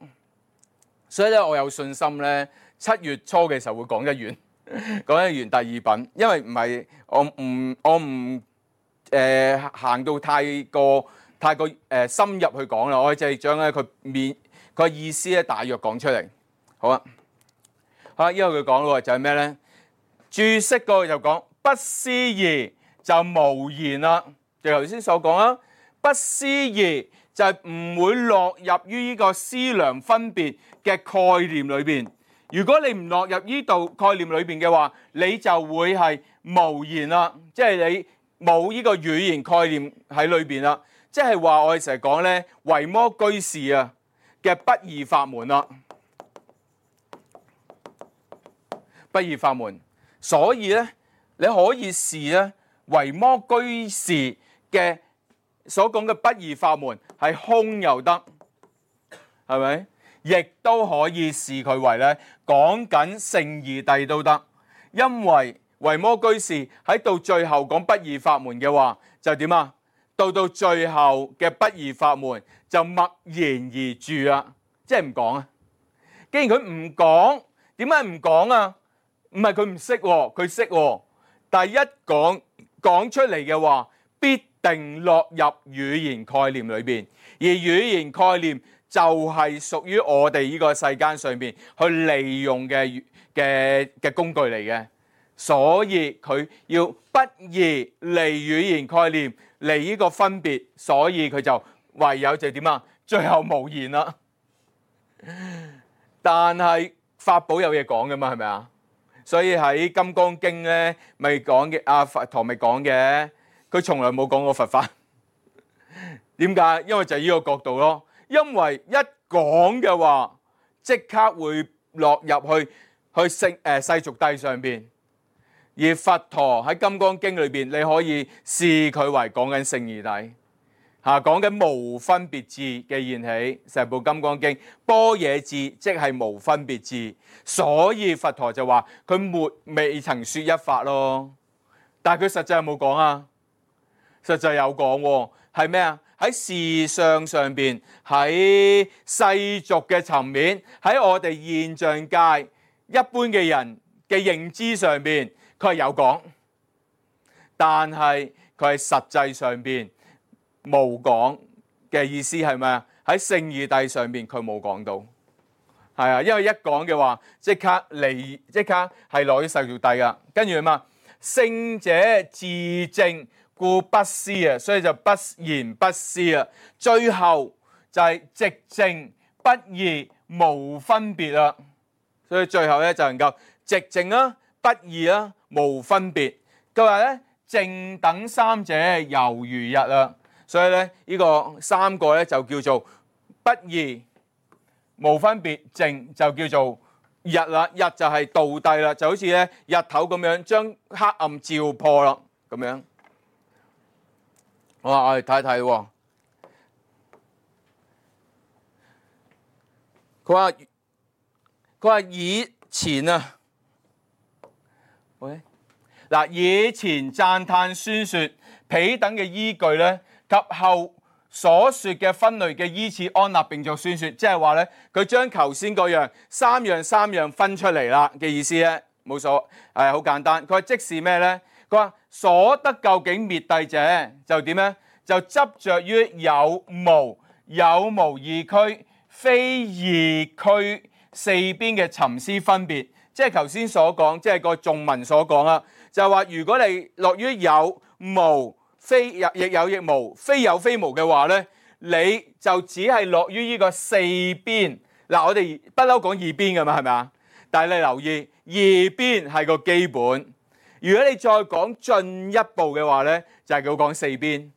Speaker 1: 所以咧我有信心咧，七月初嘅時候會講得完，講得完第二品，因為唔係我唔我唔。誒、呃、行到太過太過誒、呃、深入去講啦，我淨係將咧佢面佢意思咧大約講出嚟。好啊，好，因為佢講咯就係咩咧？注釋嗰個就講不思議就無言啦，就頭先所講啦。不思議就係唔會落入於呢個思量分別嘅概念裏邊。如果你唔落入呢度概念裏邊嘅話，你就會係無言啦，即係你。冇呢個語言概念喺裏邊啦，即係話我哋成日講咧，維摩居士啊嘅不二法門啦，不二法門，所以咧你可以視咧維摩居士嘅所講嘅不二法門係空又得，係咪？亦都可以視佢為咧講緊聖義諦都得，因為維摩居士喺到最後講不二法門嘅話，就點啊？到到最後嘅不二法門就默然而住啦，即係唔講啊！既然佢唔講，點解唔講啊？唔係佢唔識，佢識。但係一講講出嚟嘅話，必定落入語言概念裏邊，而語言概念就係屬於我哋呢個世間上邊去利用嘅嘅嘅工具嚟嘅。所以佢要不義離語言概念，離呢個分別，所以佢就唯有就點啊？最後無言啦。但係法寶有嘢講嘅嘛，係咪啊？所以喺《金剛經》咧，咪講嘅阿佛陀咪講嘅，佢從來冇講過佛法。點解？因為就係呢個角度咯。因為一講嘅話，即刻會落入去去聖誒世俗諦上邊。而佛陀喺《金剛經》裏邊，你可以視佢為講緊聖義諦，嚇講緊無分別智嘅現起。成部《金剛經》般若智即係無分別智，所以佛陀就話佢沒未曾説一法咯。但係佢實際有冇講啊？實際有講喎，係咩啊？喺事相上邊，喺世俗嘅層面，喺我哋現象界一般嘅人嘅認知上邊。佢係有講，但係佢係實際上邊冇講嘅意思係咪啊？喺聖義諦上邊佢冇講到，係啊，因為一講嘅話即刻離即刻係攞咗世俗諦噶，跟住嘛，聖者自正故不思啊，所以就不言不思啊，最後就係直正不異無分別啦，所以最後咧就能夠直正啦、不異啦、無分別。佢話咧正等三者猶如日啦，所以咧呢個三個咧就叫做不異、無分別，正就叫做日啦。日就係道諦啦，就好似咧日頭咁樣將黑暗照破啦咁樣。好啊，我哋睇一睇喎。佢話佢話以前啊，喂，嗱，以前讚歎宣説彼等嘅依據咧，及後所説嘅分類嘅依次安立並作宣説，即係話咧，佢將頭先嗰樣三樣三樣分出嚟啦嘅意思咧，冇所係好簡單。佢話即是咩咧？佢話所得究竟滅諦者就點咧？就執着於有無有無二區。非二區四邊嘅尋思分別，即係頭先所講，即係個頌文所講啦，就係話如果你落於有無非亦有亦無，非有非無嘅話咧，你就只係落於呢個四邊。嗱，我哋不嬲講二邊㗎嘛，係咪啊？但係你留意二邊係個基本，如果你再講進一步嘅話咧，就係佢講四邊，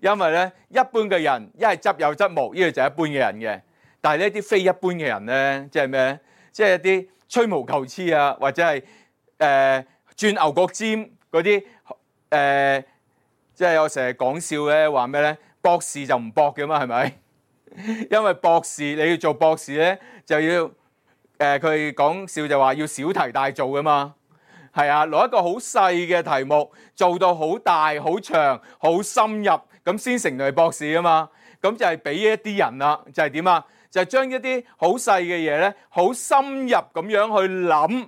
Speaker 1: 因為咧一般嘅人一係執有則無，呢個就係一般嘅人嘅。但係呢啲非一般嘅人咧，即係咩？即係一啲吹毛求疵啊，或者係誒、呃、轉牛角尖嗰啲誒，即係我成日講笑咧，話咩咧？博士就唔博嘅嘛，係咪？因為博士你要做博士咧，就要誒佢講笑就話要小題大做嘅嘛。係啊，攞一個好細嘅題目做到好大、好長、好深入，咁先成為博士啊嘛。咁就係俾一啲人啦，就係點啊？就係將一啲好細嘅嘢咧，好深入咁樣去諗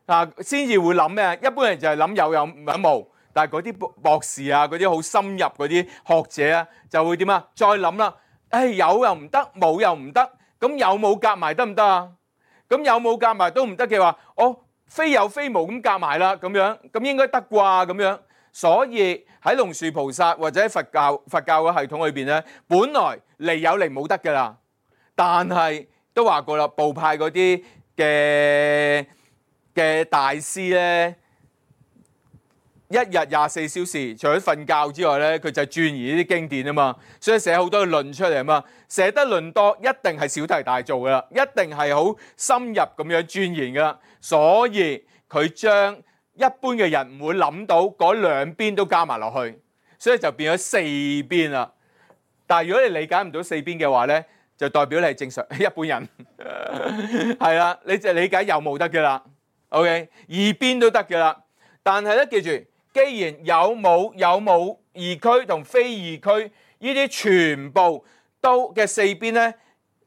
Speaker 1: 啊，先至會諗咩？一般人就係諗有有冇無，但係嗰啲博士啊，嗰啲好深入嗰啲學者啊，就會點啊？再諗啦，誒有又唔得，冇又唔得，咁有冇夾埋得唔得啊？咁有冇夾埋都唔得嘅話，我非有非無咁夾埋啦，咁樣咁應該得啩咁樣。所以喺龍樹菩薩或者佛教佛教嘅系統裏邊咧，本來離有離冇得㗎啦。但係都話過啦，部派嗰啲嘅嘅大師咧，一日廿四小時，除咗瞓覺之外咧，佢就鑽研呢啲經典啊嘛，所以寫好多論出嚟啊嘛，寫得論多，一定係小題大做噶啦，一定係好深入咁樣鑽研噶啦，所以佢將一般嘅人唔會諗到嗰兩邊都加埋落去，所以就變咗四邊啦。但係如果你理解唔到四邊嘅話咧，就代表你係正常一般人，係啦，你就理解有冇得嘅啦 ，OK， 二邊都得嘅啦。但係咧，記住，既然有冇有冇二區同非二區，呢啲全部都嘅四邊咧，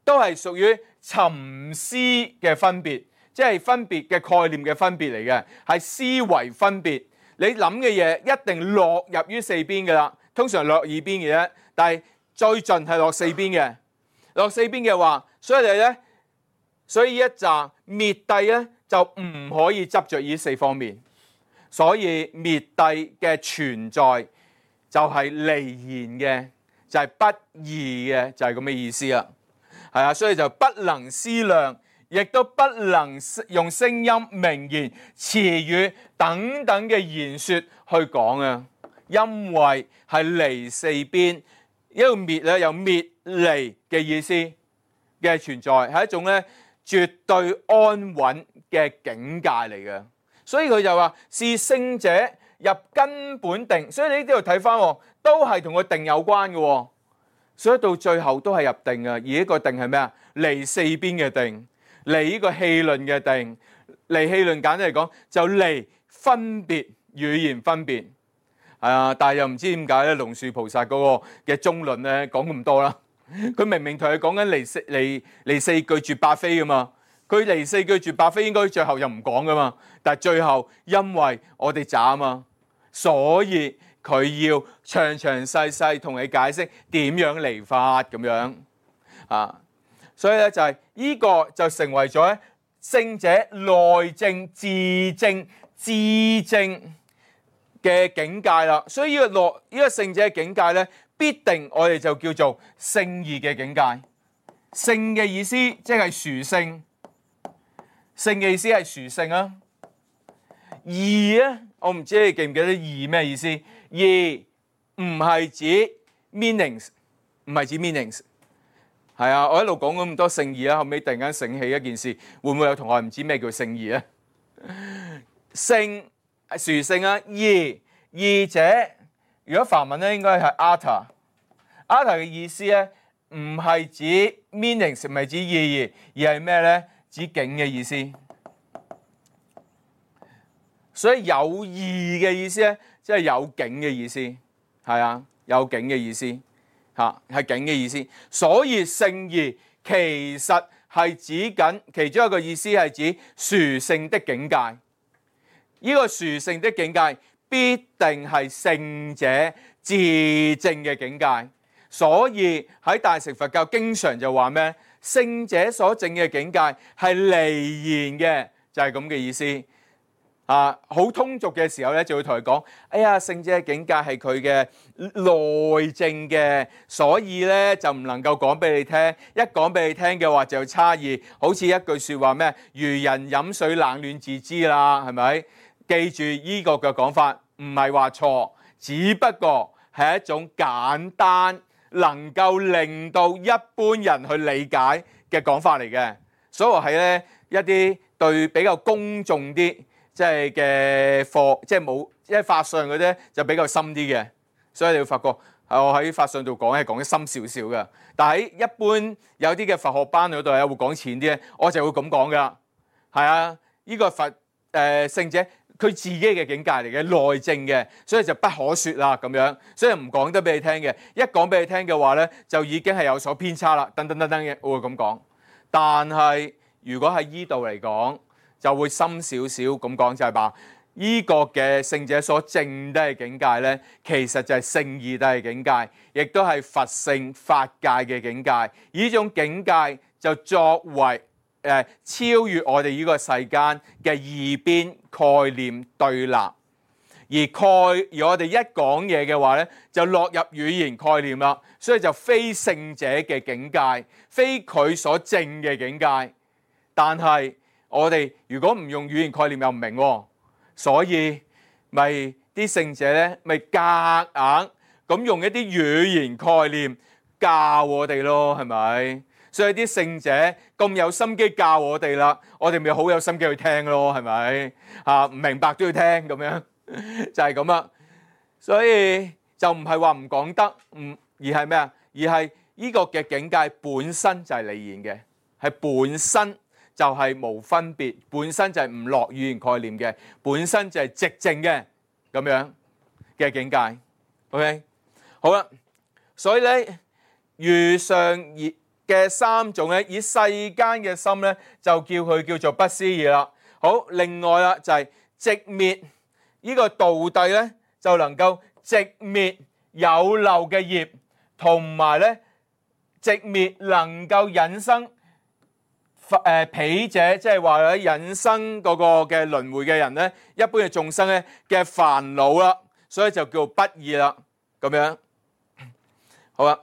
Speaker 1: 都係屬於尋思嘅分別，即係分別嘅概念嘅分別嚟嘅，係思維分別。你諗嘅嘢一定落入於四邊嘅啦，通常落二邊嘅啫，但係最盡係落四邊嘅。落四邊嘅話，所以你咧，所以一集滅諦咧就唔可以執着於四方面，所以滅諦嘅存在就係離言嘅，就係、是、不異嘅，就係咁嘅意思啦。係啊，所以就不能思量，亦都不能用聲音、名言、詞語等等嘅言說去講啊，因為係離四邊。呢個滅咧有滅離嘅意思嘅存在，係一種咧絕對安穩嘅境界嚟嘅。所以佢就話是聖者入根本定，所以你呢度睇翻都係同個定有關嘅。所以到最後都係入定嘅，而呢個定係咩啊？離四邊嘅定，離呢個戲論嘅定，離戲論簡單嚟講就離分別語言分別。係啊，但係又唔知點解咧？龍樹菩薩嗰個嘅中論咧講咁多啦，佢明明同佢講緊離四離離四句絕百非噶嘛，佢離四句絕百非應該最後又唔講噶嘛，但係最後因為我哋渣啊嘛，所以佢要詳詳細細同你解釋點樣嚟法咁樣啊。所以咧就係呢個就成為咗咧聖者內證、自證、自證嘅境界啦。所以呢個內呢個聖者嘅境界咧，必定我哋就叫做聖義嘅境界。聖嘅意思即係殊聖，聖嘅意思係殊聖啊。義咧，我唔知你記唔記得義咩意思？義唔係指 meanings， 唔係指 meanings。係啊，我一路講咁多聖義啦，後尾突然間醒起一件事，會唔會有同學唔知咩叫聖義咧？聖殊聖啊，義義者，如果梵文咧應該係 arta，arta 嘅意思咧唔係指 meanings， 唔係指意義，而係咩咧？指境嘅意思。所以有義嘅意思咧，即係有境嘅意思，係啊，有境嘅意思。嚇，係境嘅意思，所以聖義其實係指緊其中一個意思係指殊聖的境界。呢、這個殊聖的境界必定係聖者自證嘅境界。所以喺大乘佛教經常就話咩？聖者所證嘅境界係離言嘅，就係咁嘅意思。啊，好通俗嘅時候咧，就會同佢講：哎呀，聖者嘅境界係佢嘅內證嘅，所以咧就唔能夠講俾你聽。一講俾你聽嘅話就有差異，好似一句説話咩？如人飲水冷暖自知啦，係咪？記住依個嘅講法，唔係話錯，只不過係一種簡單能夠令到一般人去理解嘅講法嚟嘅。所以係咧一啲對比較公眾啲。即係嘅課，即係冇，即係法相嗰啲就比較深啲嘅，所以你會發覺，我喺法相度講係講得深少少嘅。但係喺一般有啲嘅佛學班嗰度咧，會講淺啲咧，我就會咁講噶。係啊，呢個佛誒聖者佢自己嘅境界嚟嘅，內證嘅，所以就不可説啦咁樣，所以唔講得俾你聽嘅。一講俾你聽嘅話咧，就已經係有所偏差啦，等等等等嘅，我會咁講。但係如果喺依度嚟講，就會深少少咁講，就係話依個嘅聖者所證得嘅境界咧，其實就係聖義得嘅境界，亦都係佛性法界嘅境界。而呢種境界就作為誒、呃、超越我哋呢個世間嘅二邊概念對立，而概而我哋一講嘢嘅話咧，就落入語言概念啦，所以就非聖者嘅境界，非佢所證嘅境界，但係。我哋如果唔用語言概念又唔明喎，所以咪啲聖者咧咪夾硬咁用一啲語言概念教我哋咯，係咪？所以啲聖者咁有心機教我哋啦，我哋咪好有心機去聽咯，係咪？嚇，唔明白都要聽咁樣，就係咁啦。所以就唔係話唔講得，唔而係咩啊？而係呢個嘅境界本身就係離言嘅，係本身。就係無分別，本身就係唔落語言概念嘅，本身就係直證嘅咁樣嘅境界。OK， 好啦，所以咧，如上嘅三種咧，以世間嘅心咧，就叫佢叫做不思議啦。好，另外啦就係寂滅呢個道諦咧，就能夠寂滅有漏嘅業，同埋咧寂滅能夠引生。誒彼者，即係話咧引生嗰個嘅輪迴嘅人咧，一般嘅眾生咧嘅煩惱啦，所以就叫不異啦，咁樣好啦。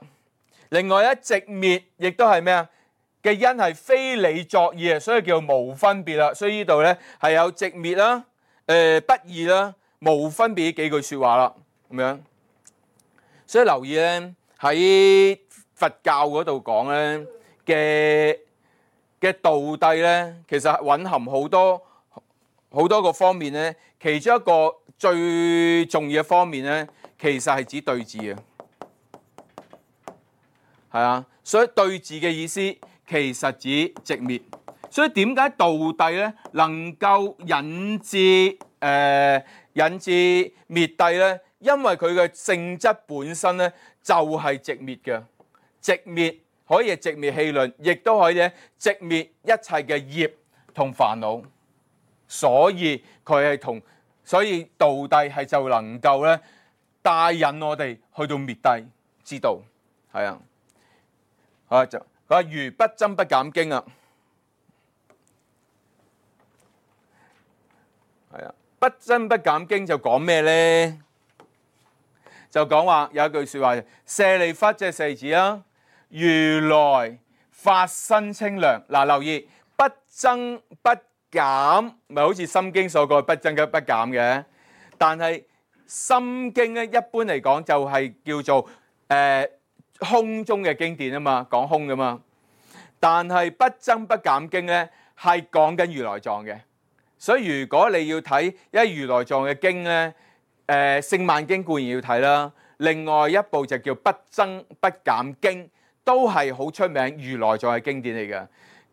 Speaker 1: 另外咧，寂滅亦都係咩啊？嘅因係非理作意啊，所以叫無分別啦。所以呢度咧係有寂滅啦、誒、呃、不異啦、無分別呢幾句説話啦，咁樣。所以留意咧喺佛教嗰度講咧嘅。嘅道諦咧，其實蘊含好多好多個方面咧。其中一個最重要嘅方面咧，其實係指對治啊，係啊。所以對治嘅意思其實指寂滅。所以點解道諦咧能夠引致誒、呃、引致滅諦咧？因為佢嘅性質本身咧就係寂滅嘅，寂滅。可以寂滅氣論，亦都可以咧寂滅一切嘅業同煩惱，所以佢係同，所以道諦係就能夠咧帶引我哋去到滅低之道，係啊，啊就佢話如不增不減經啊，係啊，不增不減經就講咩咧？就講話有一句説話，舍利弗即係舍利子啦，如來法身清涼。嗱，留意不增不減，咪好似心經所講不增嘅不減嘅。但係心經咧，一般嚟講就係叫做誒、呃、空中嘅經典啊嘛，講空噶嘛。但係不增不減經咧，係講緊如來藏嘅。所以如果你要睇一如來藏嘅經咧，誒聖曼經固然要睇啦，另外一部就叫不增不減經，都係好出名如來藏嘅經典嚟嘅。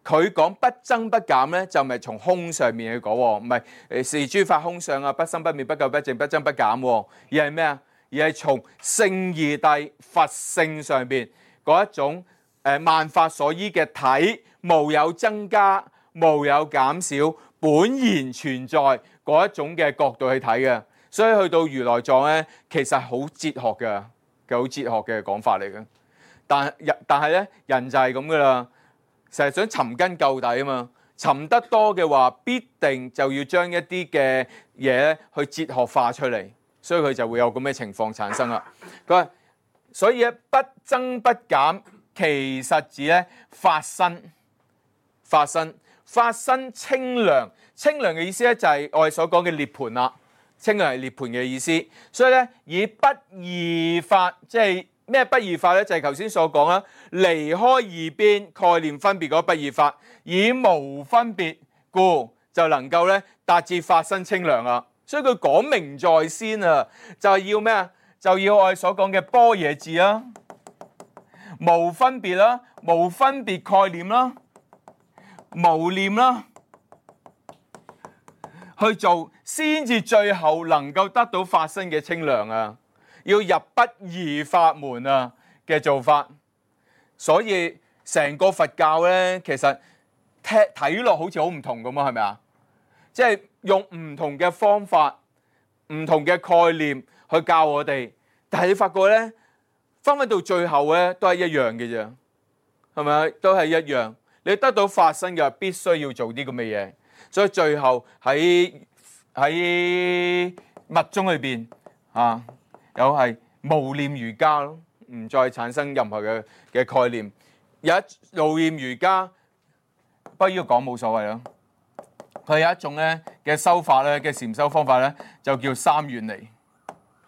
Speaker 1: 佢講不增不減咧，就唔係從空上面去講，唔係誒是諸法空相啊，不生不滅不垢不淨不增不減，而係咩啊？而係從聖義諦佛性上邊嗰一種誒萬法所依嘅體，無有增加，無有減少，本然存在嗰一種嘅角度去睇嘅。所以去到如來藏咧，其實好哲學嘅，嘅好哲學嘅講法嚟嘅。但但係咧，人就係咁噶啦，成日想尋根究底啊嘛。尋得多嘅話，必定就要將一啲嘅嘢咧去哲學化出嚟，所以佢就會有咁嘅情況產生啦。佢話，所以咧不增不減，其實指咧法身，法身，法身清涼。清涼嘅意思咧就係我哋所講嘅涅槃啦。清涼係涅槃嘅意思，所以咧以不二法，即係咩不二法咧？就係頭先所講啦，離開二邊概念分別嗰不二法，以無分別故就能夠咧達至法身清涼啦。所以佢講明在先啊，就係要咩啊？就要我哋所講嘅般若智啦，無分別啦，無分別概念啦，無念啦。去做先至最後能夠得到法身嘅清涼啊！要入不二法門啊嘅做法，所以成個佛教咧，其實睇睇落好似好唔同咁啊，係咪啊？即係用唔同嘅方法、唔同嘅概念去教我哋，但係你發覺咧，翻返到最後咧都係一樣嘅啫，係咪啊？都係一樣。你得到法身嘅必須要做啲咁嘅嘢。所以最後喺喺密宗裏邊啊，有係無念瑜伽咯，唔再產生任何嘅嘅概念。有一無念瑜伽，不過呢個講冇所謂咯。佢有一種咧嘅修法咧嘅禪修方法咧，就叫三遠離，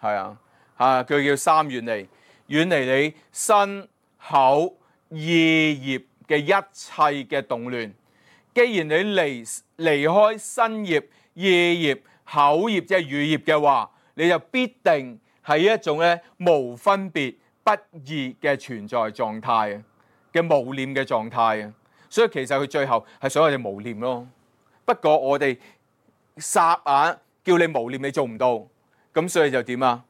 Speaker 1: 係啊啊，佢叫三遠離，遠離你身口意業嘅一切嘅動亂。既然你離離開身業、意業、口業，即係語業嘅話，你就必定係一種咧無分別不異嘅存在狀態啊，嘅無念嘅狀態啊。所以其實佢最後係想我哋無念咯。不過我哋霎眼叫你無念，你做唔到，咁所以就點啊？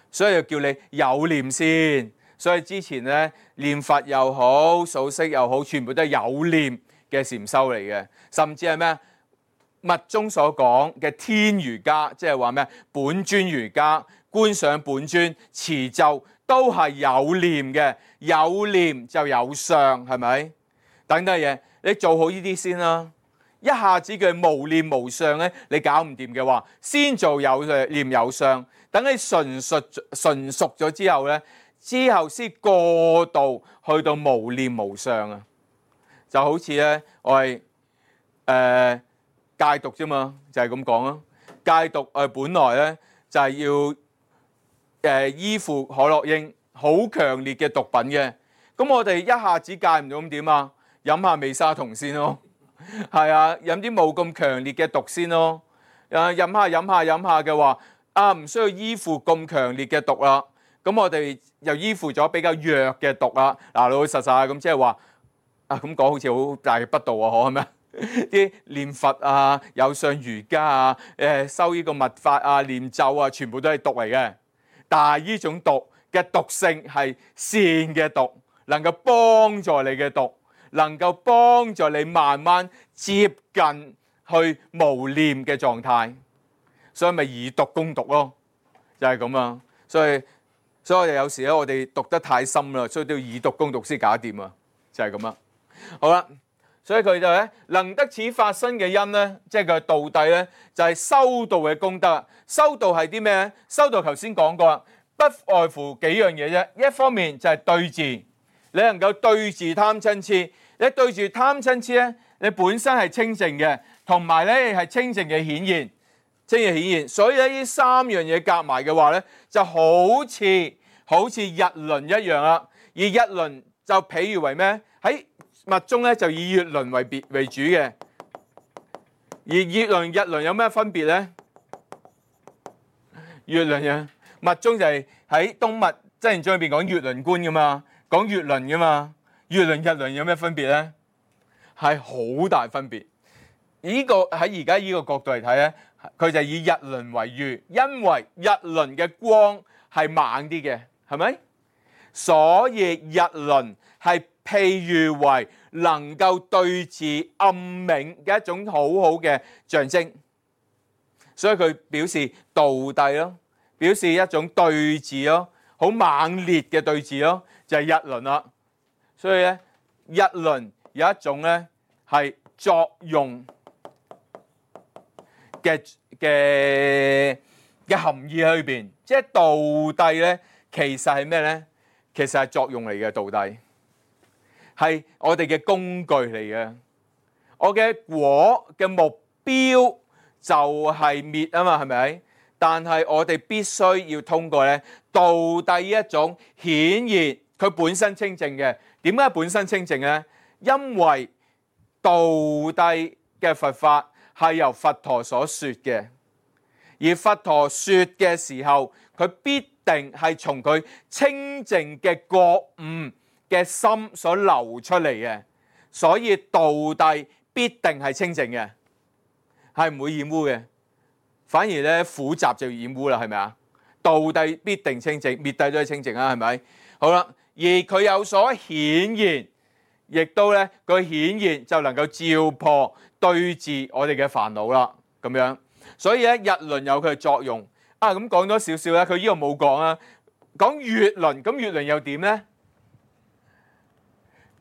Speaker 1: 所以就叫你有念先。所以之前咧念佛又好，數息又好，全部都係有念嘅禪修嚟嘅，甚至係咩密宗所講嘅天瑜伽，即係話咩本尊瑜伽、觀想本尊、持咒都係有念嘅，有念就有相，係咪？等等嘢，你做好呢啲先啦。一下子嘅無念無相咧，你搞唔掂嘅話，先做有念有相，等你純熟純熟咗之後咧，之後先過渡去到無念無相啊。就好似咧，我係誒、呃、戒毒啫嘛，就係咁講咯。戒毒誒本來咧就係、是、要誒、呃、依附可樂因，好強烈嘅毒品嘅。咁我哋一下子戒唔到，咁點啊？飲下美沙酮先咯，係啊，飲啲冇咁強烈嘅毒先咯。誒飲下飲下飲下嘅話，啊唔需要依附咁強烈嘅毒啦。咁我哋又依附咗比較弱嘅毒啦。嗱，老老實實咁即係話。啊咁講好似好大嘅不道啊，可係咪？啲念佛啊、有相瑜伽啊、誒修呢個密法啊、念咒啊，全部都係毒嚟嘅。但係呢種毒嘅毒性係善嘅毒，能夠幫助你嘅毒，能夠幫助你慢慢接近去無念嘅狀態。所以咪以毒攻毒咯，就係咁啊。所以所以我哋有時咧，我哋讀得太深啦，所以都要以毒攻毒先搞掂啊，就係咁啦。好啦，所以佢就咧能得此發生嘅因咧，即係佢道諦咧，就係修道嘅功德。修道係啲咩咧？修道頭先講過啦，不外乎幾樣嘢啫。一方面就係對治，你能夠對治貪嗔痴。你對住貪嗔痴咧，你本身係清淨嘅，同埋咧係清淨嘅顯現，清淨顯現。所以咧呢三樣嘢夾埋嘅話咧，就好似好似日輪一樣啦。而日輪就譬如為咩？喺密宗咧就以月輪為別為主嘅。而月輪日輪有咩分別咧？月輪嘅密宗就係喺東密真言宗裏邊講月輪觀噶嘛，講月輪噶嘛。月輪日輪有咩分別咧？係好大分別。呢個喺而家呢個角度嚟睇咧，佢就以日輪為喻，因為日輪嘅光係猛啲嘅，係咪？所以日輪係譬喻為能夠對治暗冥嘅一種好好嘅象徵，所以佢表示道諦咯，表示一種對治咯，好猛烈嘅對治咯，就係日輪啦。所以咧，日輪有一種咧係作用嘅嘅嘅含義喺裏邊，即係道諦咧，其實係咩咧？其實係作用嚟嘅，道諦係我哋嘅工具嚟嘅。我嘅果嘅目標就係滅啊嘛，係咪？但係我哋必須要通過咧道諦一種顯現，佢本身清淨嘅。點解本身清淨咧？因為道諦嘅佛法係由佛陀所說嘅，而佛陀說嘅時候，佢必定係從佢清淨嘅覺悟嘅心所流出嚟嘅，所以道諦必定係清淨嘅，係唔會染污嘅。反而咧苦集就染污啦，係咪啊？道諦必定清淨，滅諦都係清淨啊，係咪？好啦。而佢有所顯現，亦都咧佢顯現就能夠照破對治我哋嘅煩惱啦，咁樣。所以咧日輪有佢嘅作用啊。咁講多少少咧，佢呢度冇講啊。講月輪，咁月輪又點咧？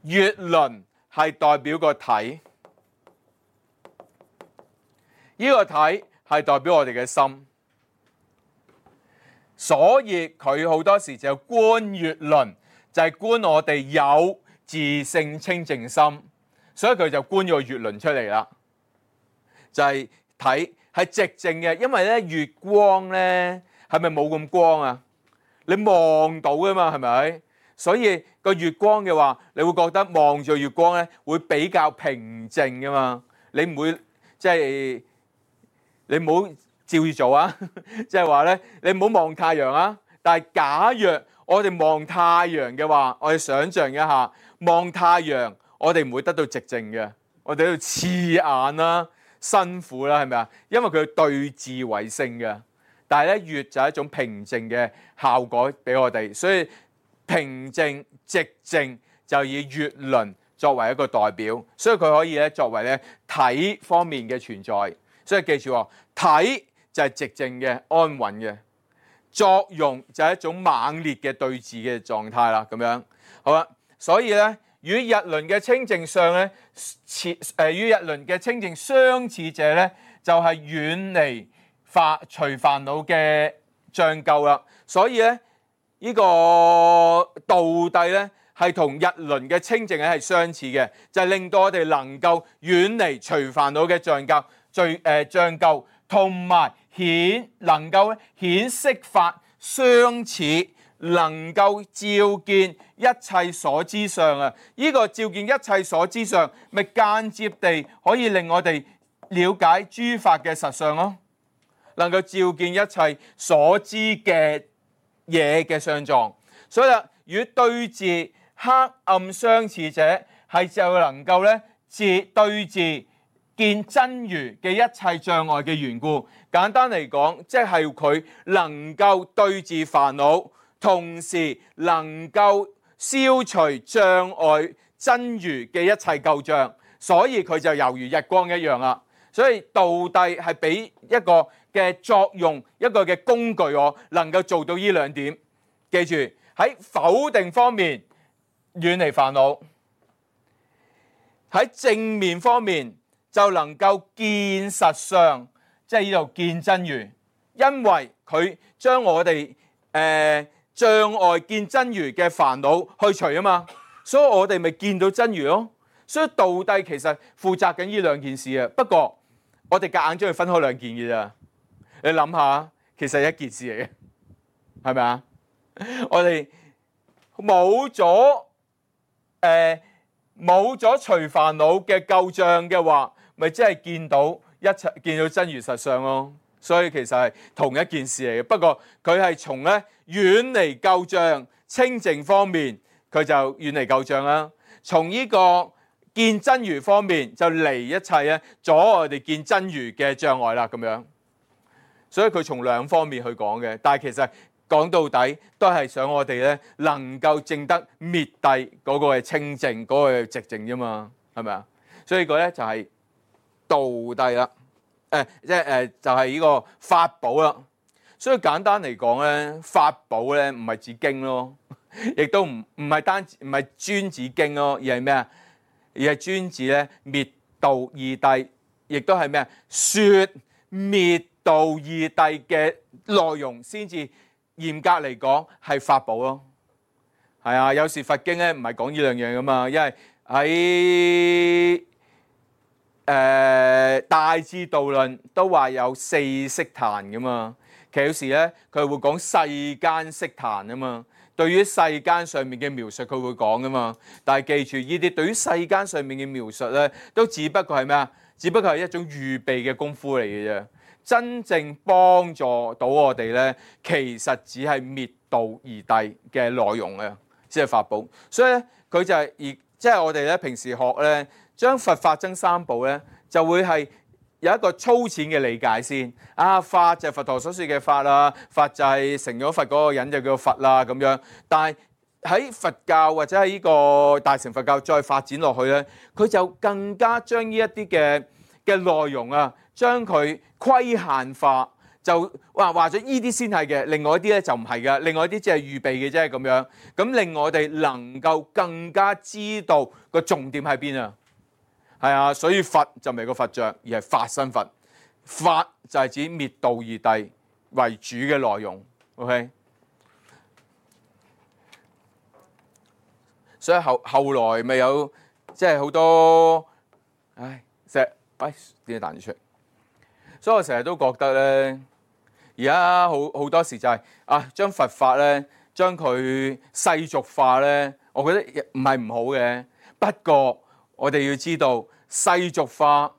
Speaker 1: 月輪係代表個體，呢個體係代表我哋嘅心，所以佢好多時就觀月輪。就係觀我哋有自性清淨心，所以佢就觀咗個月輪出嚟啦。就係睇係寂靜嘅，因為咧月光咧係咪冇咁光啊？你望到噶嘛，係咪？所以個月光嘅話，你會覺得望住月光咧會比較平靜噶嘛。你唔會即係你唔好照住做啊！即係話咧，你唔好望太陽啊。但係假若我哋望太陽嘅話，我哋想象一下，望太陽，我哋唔會得到寂靜嘅，我哋喺度刺眼啦、辛苦啦，係咪啊？因為佢對治為性嘅。但係咧，月就係一種平靜嘅效果俾我哋，所以平靜、寂靜就以月輪作為一個代表，所以佢可以咧作為咧體方面嘅存在。所以記住喎，體就係寂靜嘅、安穩嘅。作用就係一種猛烈嘅對治嘅狀態啦，咁樣好啦。所以咧，與日輪嘅清淨相咧，似誒與日輪嘅清淨相似者咧，就係遠離煩除煩惱嘅障垢啦。所以咧，呢個道諦咧係同日輪嘅清淨咧係相似嘅，就係令到我哋能夠遠離除煩惱嘅障垢、罪誒障垢，同埋顯能夠顯色法相似，能夠照見一切所知相啊！呢個照見一切所知相，咪間接地可以令我哋了解諸法嘅實相咯。能夠照見一切所知嘅嘢嘅相狀，所以啊，與對治黑暗相似者，係就能夠咧治對治見真如嘅一切障礙嘅緣故。簡單嚟講，即係佢能夠對治煩惱，同時能夠消除障礙真如嘅一切舊障，所以佢就猶如日光一樣啦。所以道諦係俾一個嘅作用，一個嘅工具，我能夠做到呢兩點。記住喺否定方面遠離煩惱，喺正面方面就能夠見實相，即係呢度見真如，因為佢將我哋誒、呃、障礙見真如嘅煩惱去除啊嘛，所以我哋咪見到真如咯。所以道諦其實負責緊呢兩件事啊，不過我哋夾硬將佢分開兩件嘅咋。你諗下，其實係一件事嚟嘅，係咪啊？我哋冇咗誒冇咗除煩惱嘅舊障嘅話，咪即係見到一切，見到真如實相咯。所以其實係同一件事嚟嘅，不過佢係從咧遠離舊障清淨方面，佢就遠離舊障啦。從呢個見真如方面，就離一切咧阻我哋見真如嘅障礙啦。咁樣，所以佢從兩方面去講嘅，但係其實講到底都係想我哋咧能夠證得滅諦嗰個係清淨，嗰、嗰個係寂靜啫嘛，係咪啊？所以個咧就係道諦啦，誒即係誒就係呢個法寶啦。所以簡單嚟講咧，法寶咧唔係指經咯，亦都唔唔係單唔係專指經咯，而係咩啊？而係專指咧滅道二諦，亦都係咩啊？説滅道二諦嘅內容先至。嚴格嚟講係法寶咯，係啊，有時佛經咧唔係講呢兩樣噶嘛，因為喺誒、呃、大智度論都話有四悉檀噶嘛，其實有時咧佢會講世間悉檀啊嘛，對於世間上面嘅描述佢會講噶嘛，但係記住呢啲對於世間上面嘅描述咧，都只不過係咩啊？只不過係一種預備嘅功夫嚟嘅啫。真正幫助到我哋咧，其實只係滅道二諦嘅內容嘅，即係法寶。所以咧，佢就係、是、而即係我哋咧平時學咧，將佛法僧三寶咧，就會係有一個粗淺嘅理解先。啊，法就係佛陀所說嘅法啦，法就係成咗佛嗰個人就叫佛啦咁樣。但係喺佛教或者喺呢個大乘佛教再發展落去咧，佢就更加將呢一啲嘅嘅內容啊，將佢規限化，就話話咗呢啲先係嘅，另外一啲咧就唔係嘅，另外一啲只係預備嘅啫咁樣。咁令我哋能夠更加知道個重點喺邊啊？係啊，所以佛就唔係個佛像，而係法身佛。法就係指滅道二諦為主嘅內容。OK， 所以後後來咪有即係好多，唉，成日喂點解彈咗出嚟？所以我成日都覺得咧，而家好好多時就係、是、啊，將佛法咧，將佢世俗化咧，我覺得唔係唔好嘅。不過我哋要知道世俗化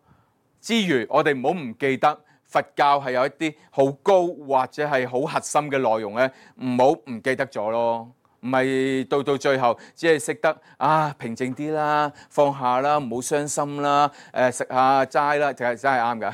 Speaker 1: 之餘，我哋唔好唔記得佛教係有一啲好高或者係好核心嘅內容咧，唔好唔記得咗咯。唔係到到最後，只係識得啊平靜啲啦，放下啦，唔好傷心啦，誒、呃、食下齋啦，就係真係啱㗎，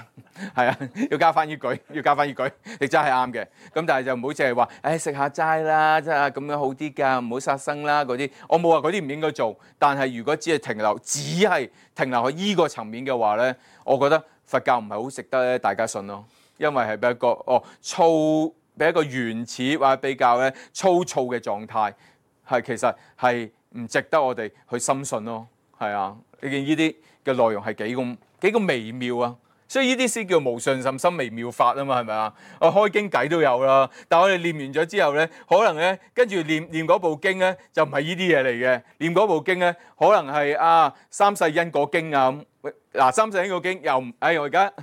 Speaker 1: 係啊，要加翻呢句，要加翻呢句，你真係啱嘅。咁但係就唔好淨係話，誒食下齋啦，真係咁樣好啲㗎，唔好殺生啦嗰啲。我冇話嗰啲唔應該做，但係如果只係停留，只係停留喺依個層面嘅話咧，我覺得佛教唔係好值得咧大家信咯，因為係比一個哦粗。俾一個原始或者比較咧粗糙嘅狀態，係其實係唔值得我哋去深信咯。係啊，你見呢啲嘅內容係幾咁幾咁微妙啊！所以呢啲先叫無上甚深微妙法啊嘛，係咪啊？我開經偈都有啦，但係我哋念完咗之後咧，可能咧跟住念念嗰部經咧就唔係呢啲嘢嚟嘅，念嗰部經咧可能係啊三世因果經啊咁。嗱，三世因果經又唔，哎我而家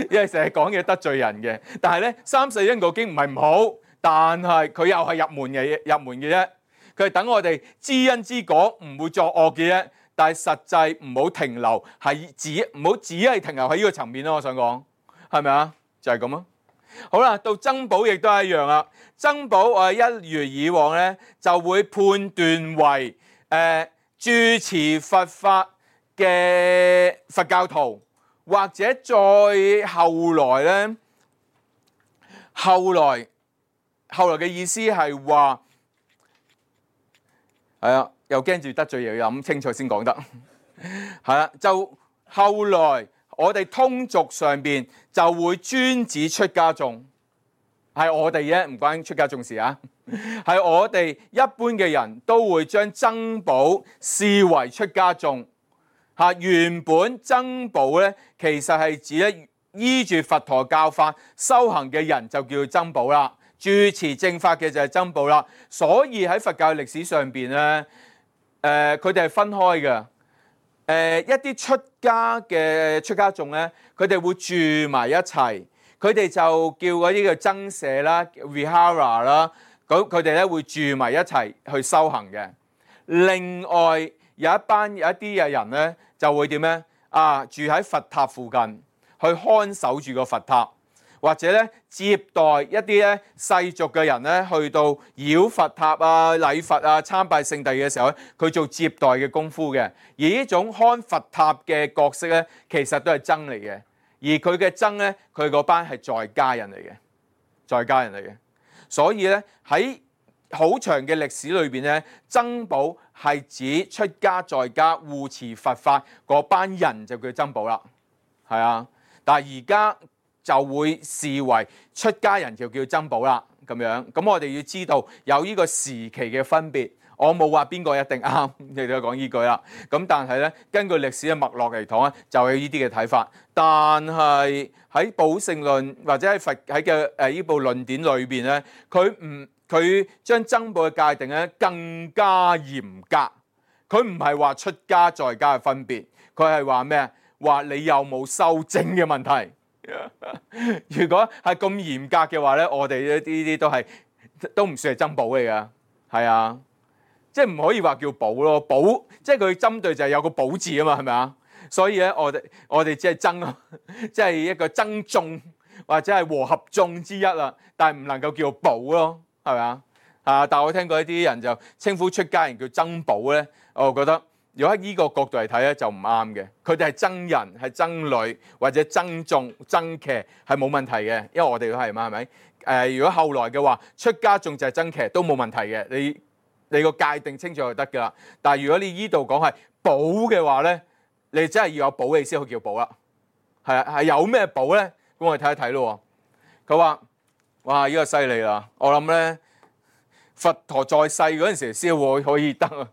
Speaker 1: 因為成日講嘢得罪人嘅，但係咧三世因果經唔係唔好，但係佢又係入門嘅入門嘅啫，佢係等我哋知因知果唔會作惡嘅啫，但係實際唔好停留係只唔好只係停留喺呢個層面咯，我想講係咪啊？就係咁咯。好啦，到僧寶亦都係一樣啦，僧寶我哋一如以往咧就會判斷為誒住持佛法嘅佛教徒，或者再後來咧，後來後來嘅意思係話，係啊，又驚住得罪，又要諗清楚先講得，係啦，就後來我哋通俗上邊就會專指出家眾，係我哋啫，唔關出家眾事啊。係我哋一般嘅人都會將僧寶視為出家眾。嚇，原本僧寶咧，其實係指咧依住佛陀教法修行嘅人就叫做僧寶啦。住持正法嘅就係僧寶啦。所以喺佛教歷史上邊咧，誒佢哋係分開嘅。誒、呃、一啲出家嘅出家眾咧，佢哋會住埋一齊，佢哋就叫嗰啲叫僧舍啦、vihara 啦，咁佢哋咧會住埋一齊去修行嘅。另外有一班有一啲嘅人咧，就會點咧？啊，住喺佛塔附近，去看守住個佛塔，或者咧接待一啲咧世俗嘅人咧，去到繞佛塔啊、禮佛啊、參拜聖地嘅時候咧，佢做接待嘅功夫嘅。而呢種看佛塔嘅角色咧，其實都係僧嚟嘅。而佢嘅僧咧，佢嗰班係在家人嚟嘅，在家人嚟嘅。所以咧喺好長嘅歷史裏邊咧，僧寶係指出家在家護持佛法嗰班人就叫僧寶啦，係啊。但係而家就會視為出家人就叫僧寶啦，咁樣。咁我哋要知道有呢個時期嘅分別。我冇話邊個一定啱，你都講呢句啦。咁但係咧，根據歷史嘅脈絡嚟講咧，就有呢啲嘅睇法。但係喺寶性論或者喺佛喺嘅誒呢部論典裏邊咧，佢唔佢將僧寶嘅界定咧更加嚴格。佢唔係話出家在家嘅分別，佢係話咩？話你有冇修證嘅問題。如果係咁嚴格嘅話咧，我哋呢啲都係都唔算係僧寶嚟噶，係啊。即係唔可以話叫寶咯，寶即係佢針對就係有個寶字啊嘛，係咪啊？所以咧，我哋我哋只係僧，即係一個僧眾或者係和合眾之一啦，但係唔能夠叫寶咯，係咪啊？啊！但係我聽過一啲人就稱呼出家人叫僧寶咧，我覺得如果喺呢個角度嚟睇咧就唔啱嘅。佢哋係僧人、係僧侶或者僧眾、僧騎係冇問題嘅，因為我哋都係嘛，係咪？誒、呃，如果後來嘅話，出家眾就係僧騎都冇問題嘅，你。你個界定清楚就得㗎啦。但係如果你依度講係寶嘅話咧，你真係要有寶你先可以叫寶啦。係啊，係有咩寶咧？咁我哋睇一睇咯。佢話：哇，呢個犀利啦！我諗咧，佛陀在世嗰陣時先會可以得啊。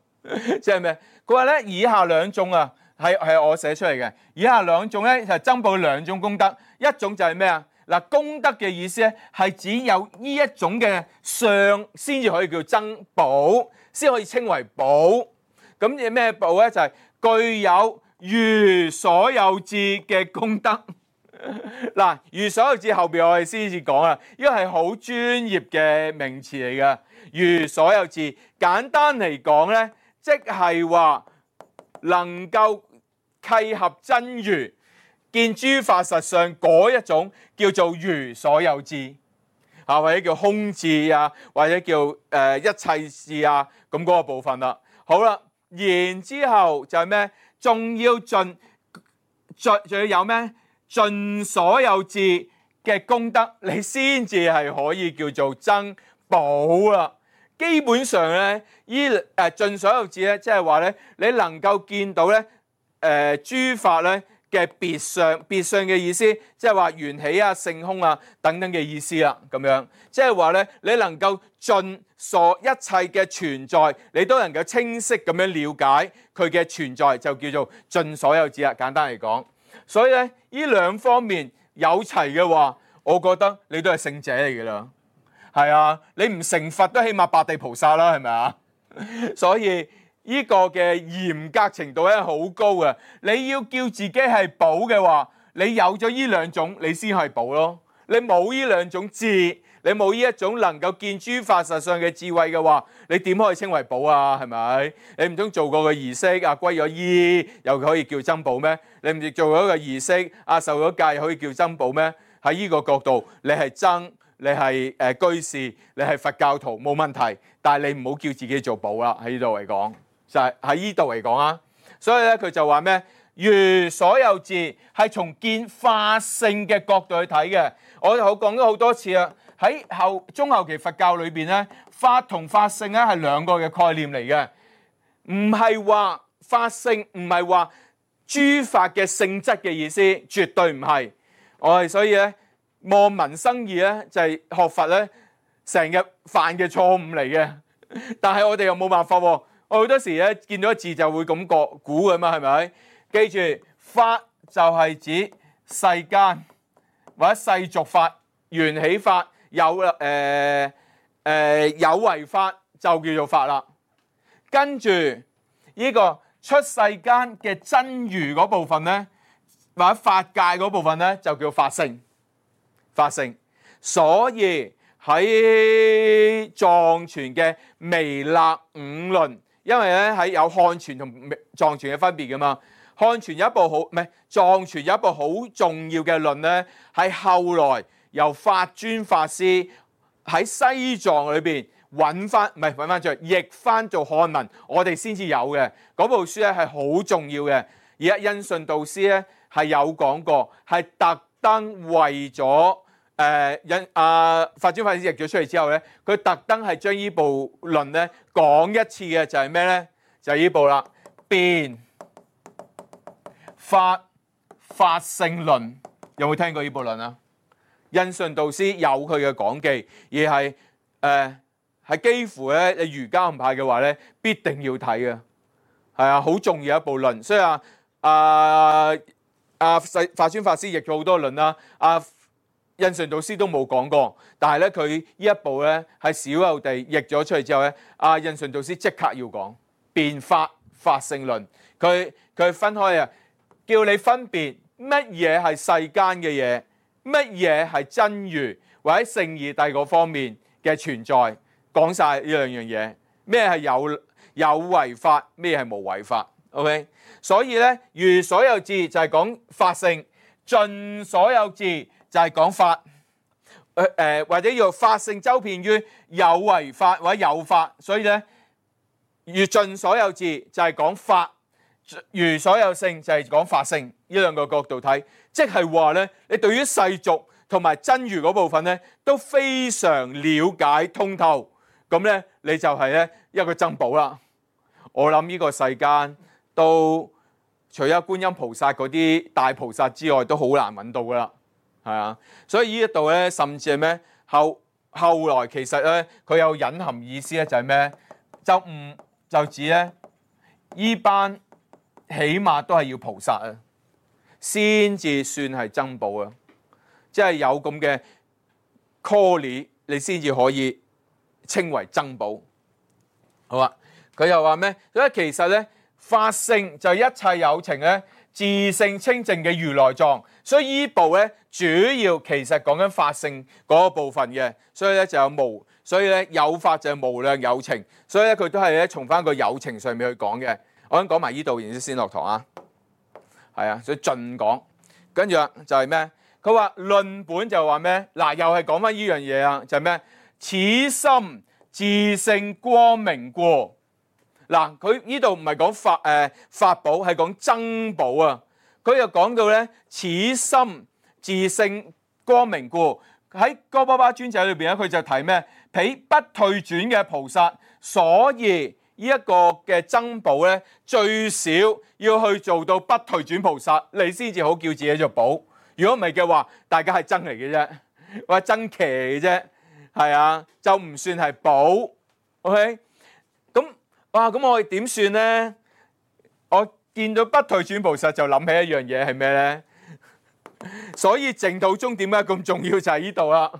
Speaker 1: 即係咩？佢話咧，以下兩種啊，係係我寫出嚟嘅。以下兩種咧就係僧寶兩種功德，一種就係咩啊？嗱，功德嘅意思咧，係只有呢一種嘅相先至可以叫僧寶，先可以稱為寶。咁嘢咩寶咧？就係、是、具有如所有智嘅功德。嗱，如所有智後邊我哋先至講啦，呢個係好專業嘅名詞嚟嘅。如所有智，簡單嚟講咧，即係話能夠契合真如。見諸法實相嗰一種叫做如所有智，啊或者叫空智啊，或者叫誒、呃、一切智啊，咁嗰個部分啦。好啦，然之後就係咩？仲要盡盡仲要有咩？盡所有智嘅功德，你先至係可以叫做僧寶啦。基本上咧，依誒盡所有智咧，即係話咧，你能夠見到咧誒、呃、諸法咧。嘅別相，別相嘅意思，即係話緣起啊、性空啊等等嘅意思啦，咁樣，即係話咧，你能夠盡所一切嘅存在，你都能夠清晰咁樣了解佢嘅存在，就叫做盡所有智啦。簡單嚟講，所以咧，呢兩方面有齊嘅話，我覺得你都係聖者嚟嘅啦。係啊，你唔成佛都起碼八地菩薩啦，係咪啊？所以。呢個嘅嚴格程度咧好高嘅，你要叫自己係寶嘅話，你有咗呢兩種，你先係寶咯。你冇呢兩種智，你冇呢一種能夠見諸法實相嘅智慧嘅話，你點可以稱為寶啊？係咪？你唔通做過個儀式啊，歸咗依又可以叫僧寶咩？你唔做咗個儀式啊，受咗戒又可以叫僧寶咩？喺呢個角度，你係僧，你係誒居士，你係佛教徒冇問題，但係你唔好叫自己做寶啦。喺呢度嚟講。就係喺呢度嚟講啊，所以咧佢就話咩？如所有智係從見法性嘅角度去睇嘅。我就好講咗好多次啦。喺後中後期佛教裏邊咧，法同法性咧係兩個嘅概念嚟嘅，唔係話法性唔係話諸法嘅性質嘅意思，絕對唔係。我哋所以咧望文生義咧就係、是、學佛咧成日犯嘅錯誤嚟嘅，但係我哋又冇辦法喎。我好多時咧見到字就會咁覺估㗎嘛，係咪？記住法就係指世間或者世俗法、緣起法、有誒誒、呃呃、有為法就叫做法啦。跟住呢個出世間嘅真如嗰部分咧，或者法界嗰部分咧就叫法性。法性，所以喺藏傳嘅彌勒五論。因為咧喺有漢傳同藏傳嘅分別噶嘛，漢傳有一部好唔係藏傳有一部好重要嘅論咧，係後來由法尊法師喺西藏裏邊揾翻，唔係揾翻出嚟譯翻做漢文，我哋先至有嘅嗰部書咧係好重要嘅。而家印順導師咧係有講過，係特登為咗。誒引啊法尊法師譯咗出嚟之後咧，佢特登係將呢部論咧講一次嘅，就係咩咧？就係、是、呢部啦，辯法法性論。有冇聽過呢部論啊？印順導師有佢嘅講記，而係誒係幾乎咧，你瑜伽唔派嘅話咧，必定要睇嘅，係啊，好重要一部論。所以啊啊啊法尊法師譯咗好多論啦，啊。印順導師都冇講過，但係咧佢呢一部咧係少有地譯咗出嚟之後咧，阿印順導師即刻要講辯法法性論，佢佢分開啊，叫你分別乜嘢係世間嘅嘢，乜嘢係真如或者聖義諦嗰方面嘅存在，講晒呢兩樣嘢，咩係有有為法，咩係無為法 ，OK？ 所以咧如所有智就係講法性，盡所有智。就係講法，誒、呃、或者要法性周遍於有為法或者有法，所以咧如盡所有智就係講法，如所有性就係講法性。呢兩個角度睇，即係話咧，你對於世俗同埋真如嗰部分咧都非常了解通透，咁咧你就係咧一個珍寶啦。我諗呢個世間都除咗觀音菩薩嗰啲大菩薩之外，都好難揾到噶啦。係啊，所以呢一度咧，甚至係咩後後來其實咧，佢有隱含意思咧，就係咩？就唔就指咧，依班起碼都係要菩薩啊，先至算係珍寶啊！即係有咁嘅 quality，你先至可以稱為珍寶。好啊，佢又話咩？所以其實咧，法性就係一切有情咧。自性清淨嘅如來藏，所以依部咧主要其實講緊法性嗰個部分嘅，所以咧就有無，所以咧有法就係無量有情，所以咧佢都係咧從翻個有情上面去講嘅。我想講埋依度，然之後先落堂啊。係啊，所以盡講，跟住啊就係咩？佢話論本就話咩？嗱，又係講翻依樣嘢啊，就係咩？此心自性光明故。嗱，佢呢度唔係講法誒、呃、法寶，係講僧寶啊！佢又講到咧，此心自性光明故，喺哥巴巴尊者裏邊咧，佢就提咩？彼不退轉嘅菩薩，所以呢一個嘅僧寶咧，最少要去做到不退轉菩薩，你先至好叫自己做寶。如果唔係嘅話，大家係僧嚟嘅啫，或者僧騎嚟嘅啫，係啊，就唔算係寶。OK， 咁。哇！咁我哋點算咧？我見到不退轉菩薩就諗起一樣嘢係咩咧？所以淨土宗點解咁重要就係呢度啦。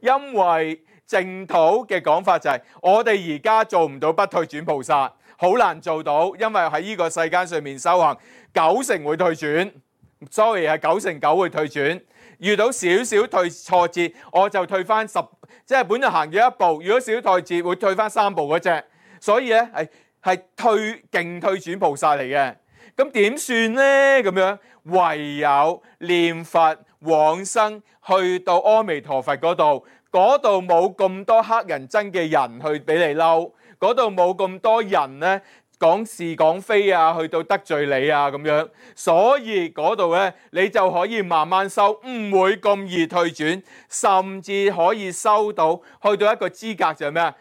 Speaker 1: 因為淨土嘅講法就係、是、我哋而家做唔到不退轉菩薩，好難做到，因為喺呢個世間上面修行，九成會退轉。sorry 係九成九會退轉。遇到少少退挫折，我就退翻十，即係本來行咗一步，如果少退折會退翻三步嗰隻。所以咧係係退勁退轉菩薩嚟嘅，咁點算咧？咁樣唯有念佛往生，去到阿彌陀佛嗰度，嗰度冇咁多黑人憎嘅人去俾你嬲，嗰度冇咁多人咧講是講非啊，去到得罪你啊咁樣，所以嗰度咧你就可以慢慢修，唔會咁易退轉，甚至可以修到去到一個資格就係咩啊？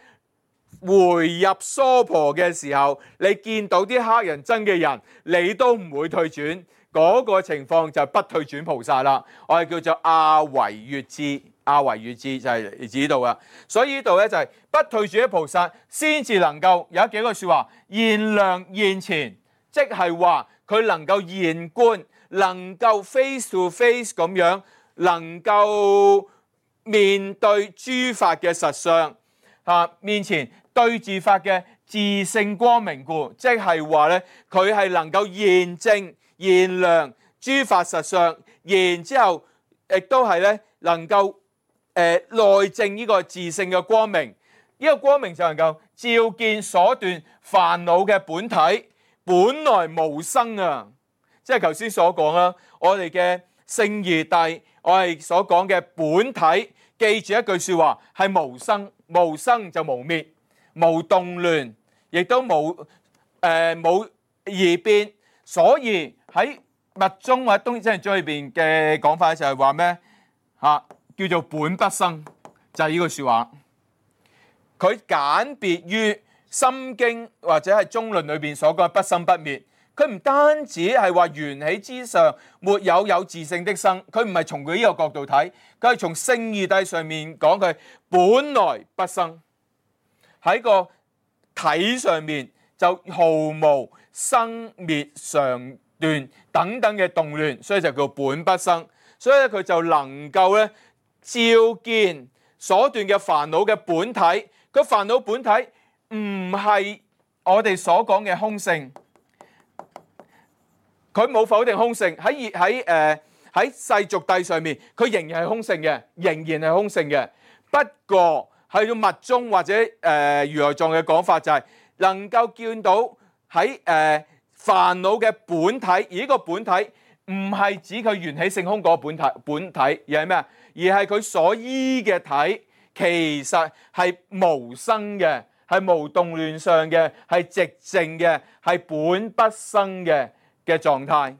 Speaker 1: 回入娑婆嘅時候，你見到啲黑人憎嘅人，你都唔會退轉，嗰、那個情況就係不退轉菩薩啦。我係叫做阿惟越致，阿惟越致就係嚟自呢度啊。所以呢度咧就係不退轉嘅菩薩，先至能夠有幾句説話，現量現前，即係話佢能夠現觀，能夠 face to face 咁樣，能夠面對諸法嘅實相啊，面前對治法嘅自性光明故，即係話咧，佢係能夠現證現量諸法實相，然之後亦都係咧能夠誒、呃、內證呢個自性嘅光明，呢、這個光明就能夠照見所斷煩惱嘅本體，本來無生啊！即係頭先所講啦，我哋嘅聖義諦，我哋所講嘅本體，記住一句説話係無生，無生就無滅。無動亂，亦都冇誒冇異變，所以喺密宗或者東真宗裏邊嘅講法就係話咩嚇？叫做本不生，就係呢句説話。佢簡別於心經或者係中論裏邊所講嘅不生不滅。佢唔單止係話緣起之上沒有有自性的生，佢唔係從佢呢個角度睇，佢係從聖義諦上面講佢本來不生。喺個體上面就毫無生滅常斷等等嘅動亂，所以就叫本不生。所以咧佢就能夠咧照見所斷嘅煩惱嘅本體。個煩惱本體唔係我哋所講嘅空性，佢冇否定空性。喺喺誒喺世俗諦上面，佢仍然係空性嘅，仍然係空性嘅。不過去到密宗或者誒、呃、如來藏嘅講法就係能夠見到喺誒、呃、煩惱嘅本體，而呢個本體唔係指佢緣起性空嗰個本體本體，而係咩啊？而係佢所依嘅體，其實係無生嘅，係無動亂相嘅，係寂靜嘅，係本不生嘅嘅狀態。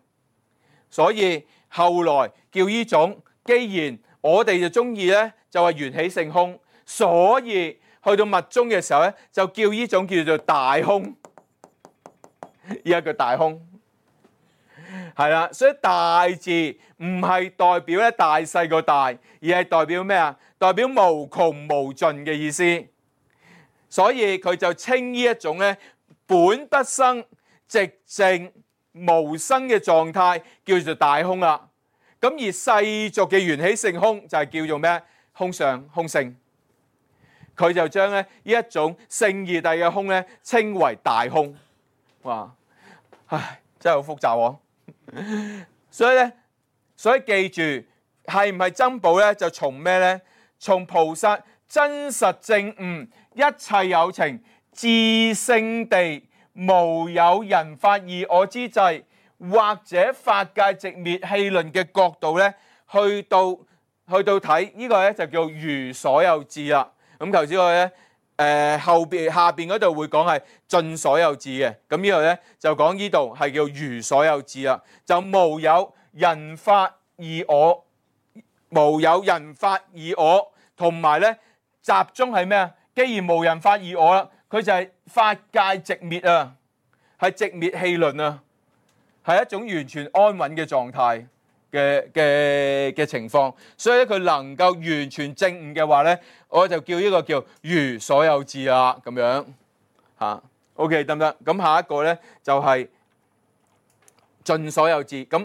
Speaker 1: 所以後來叫呢種，既然我哋就中意咧，就係緣起性空。所以去到密宗嘅時候咧，就叫呢種叫做大空，依家叫大空，係啦。所以大字唔係代表咧大細個大，而係代表咩啊？代表無窮無盡嘅意思。所以佢就稱呢一種咧本不生、寂靜無生嘅狀態叫做大空啦。咁而世俗嘅緣起性空就係叫做咩？空相、空性。佢就將咧呢一種聖義諦嘅空咧稱為大空。哇！唉，真係好複雜喎。所以咧，所以記住係唔係珍寶咧？就從咩咧？從菩薩真實證悟一切有情自性地無有人法二我之際，或者法界寂滅戲論嘅角度咧，去到去到睇呢個咧就叫如所有智啦。咁頭先我咧，誒、呃、後邊下邊嗰度會講係盡所有智嘅，咁呢度咧就講呢度係叫如所有智啦，就無有人法二我，無有人法二我，同埋咧集中係咩啊？既然無人法二我啦，佢就係法界寂滅啊，係寂滅戲論啊，係一種完全安穩嘅狀態。嘅嘅嘅情況，所以咧佢能夠完全證悟嘅話咧，我就叫呢個叫如所有智啦，咁樣嚇。OK 得唔得？咁下一個咧就係盡所有智。咁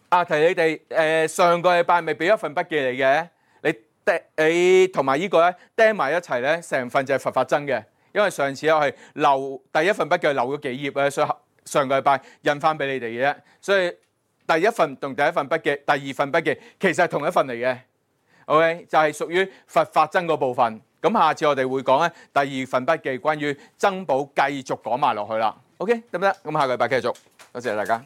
Speaker 1: 啊提你哋誒上個禮拜咪俾一份筆記嚟嘅，你釘你同埋呢個咧釘埋一齊咧，成份就係佛法僧嘅。因為上次我係留第一份筆記留咗幾頁咧，所以上個禮拜印翻俾你哋嘅啫，所以。第一份同第一份筆記，第二份筆記其實係同一份嚟嘅 ，OK 就係屬於佛法僧嗰部分。咁下次我哋會講咧第二份筆記關於珍寶，繼續講埋落去啦。OK 得唔得？咁下個禮拜繼續，多謝大家。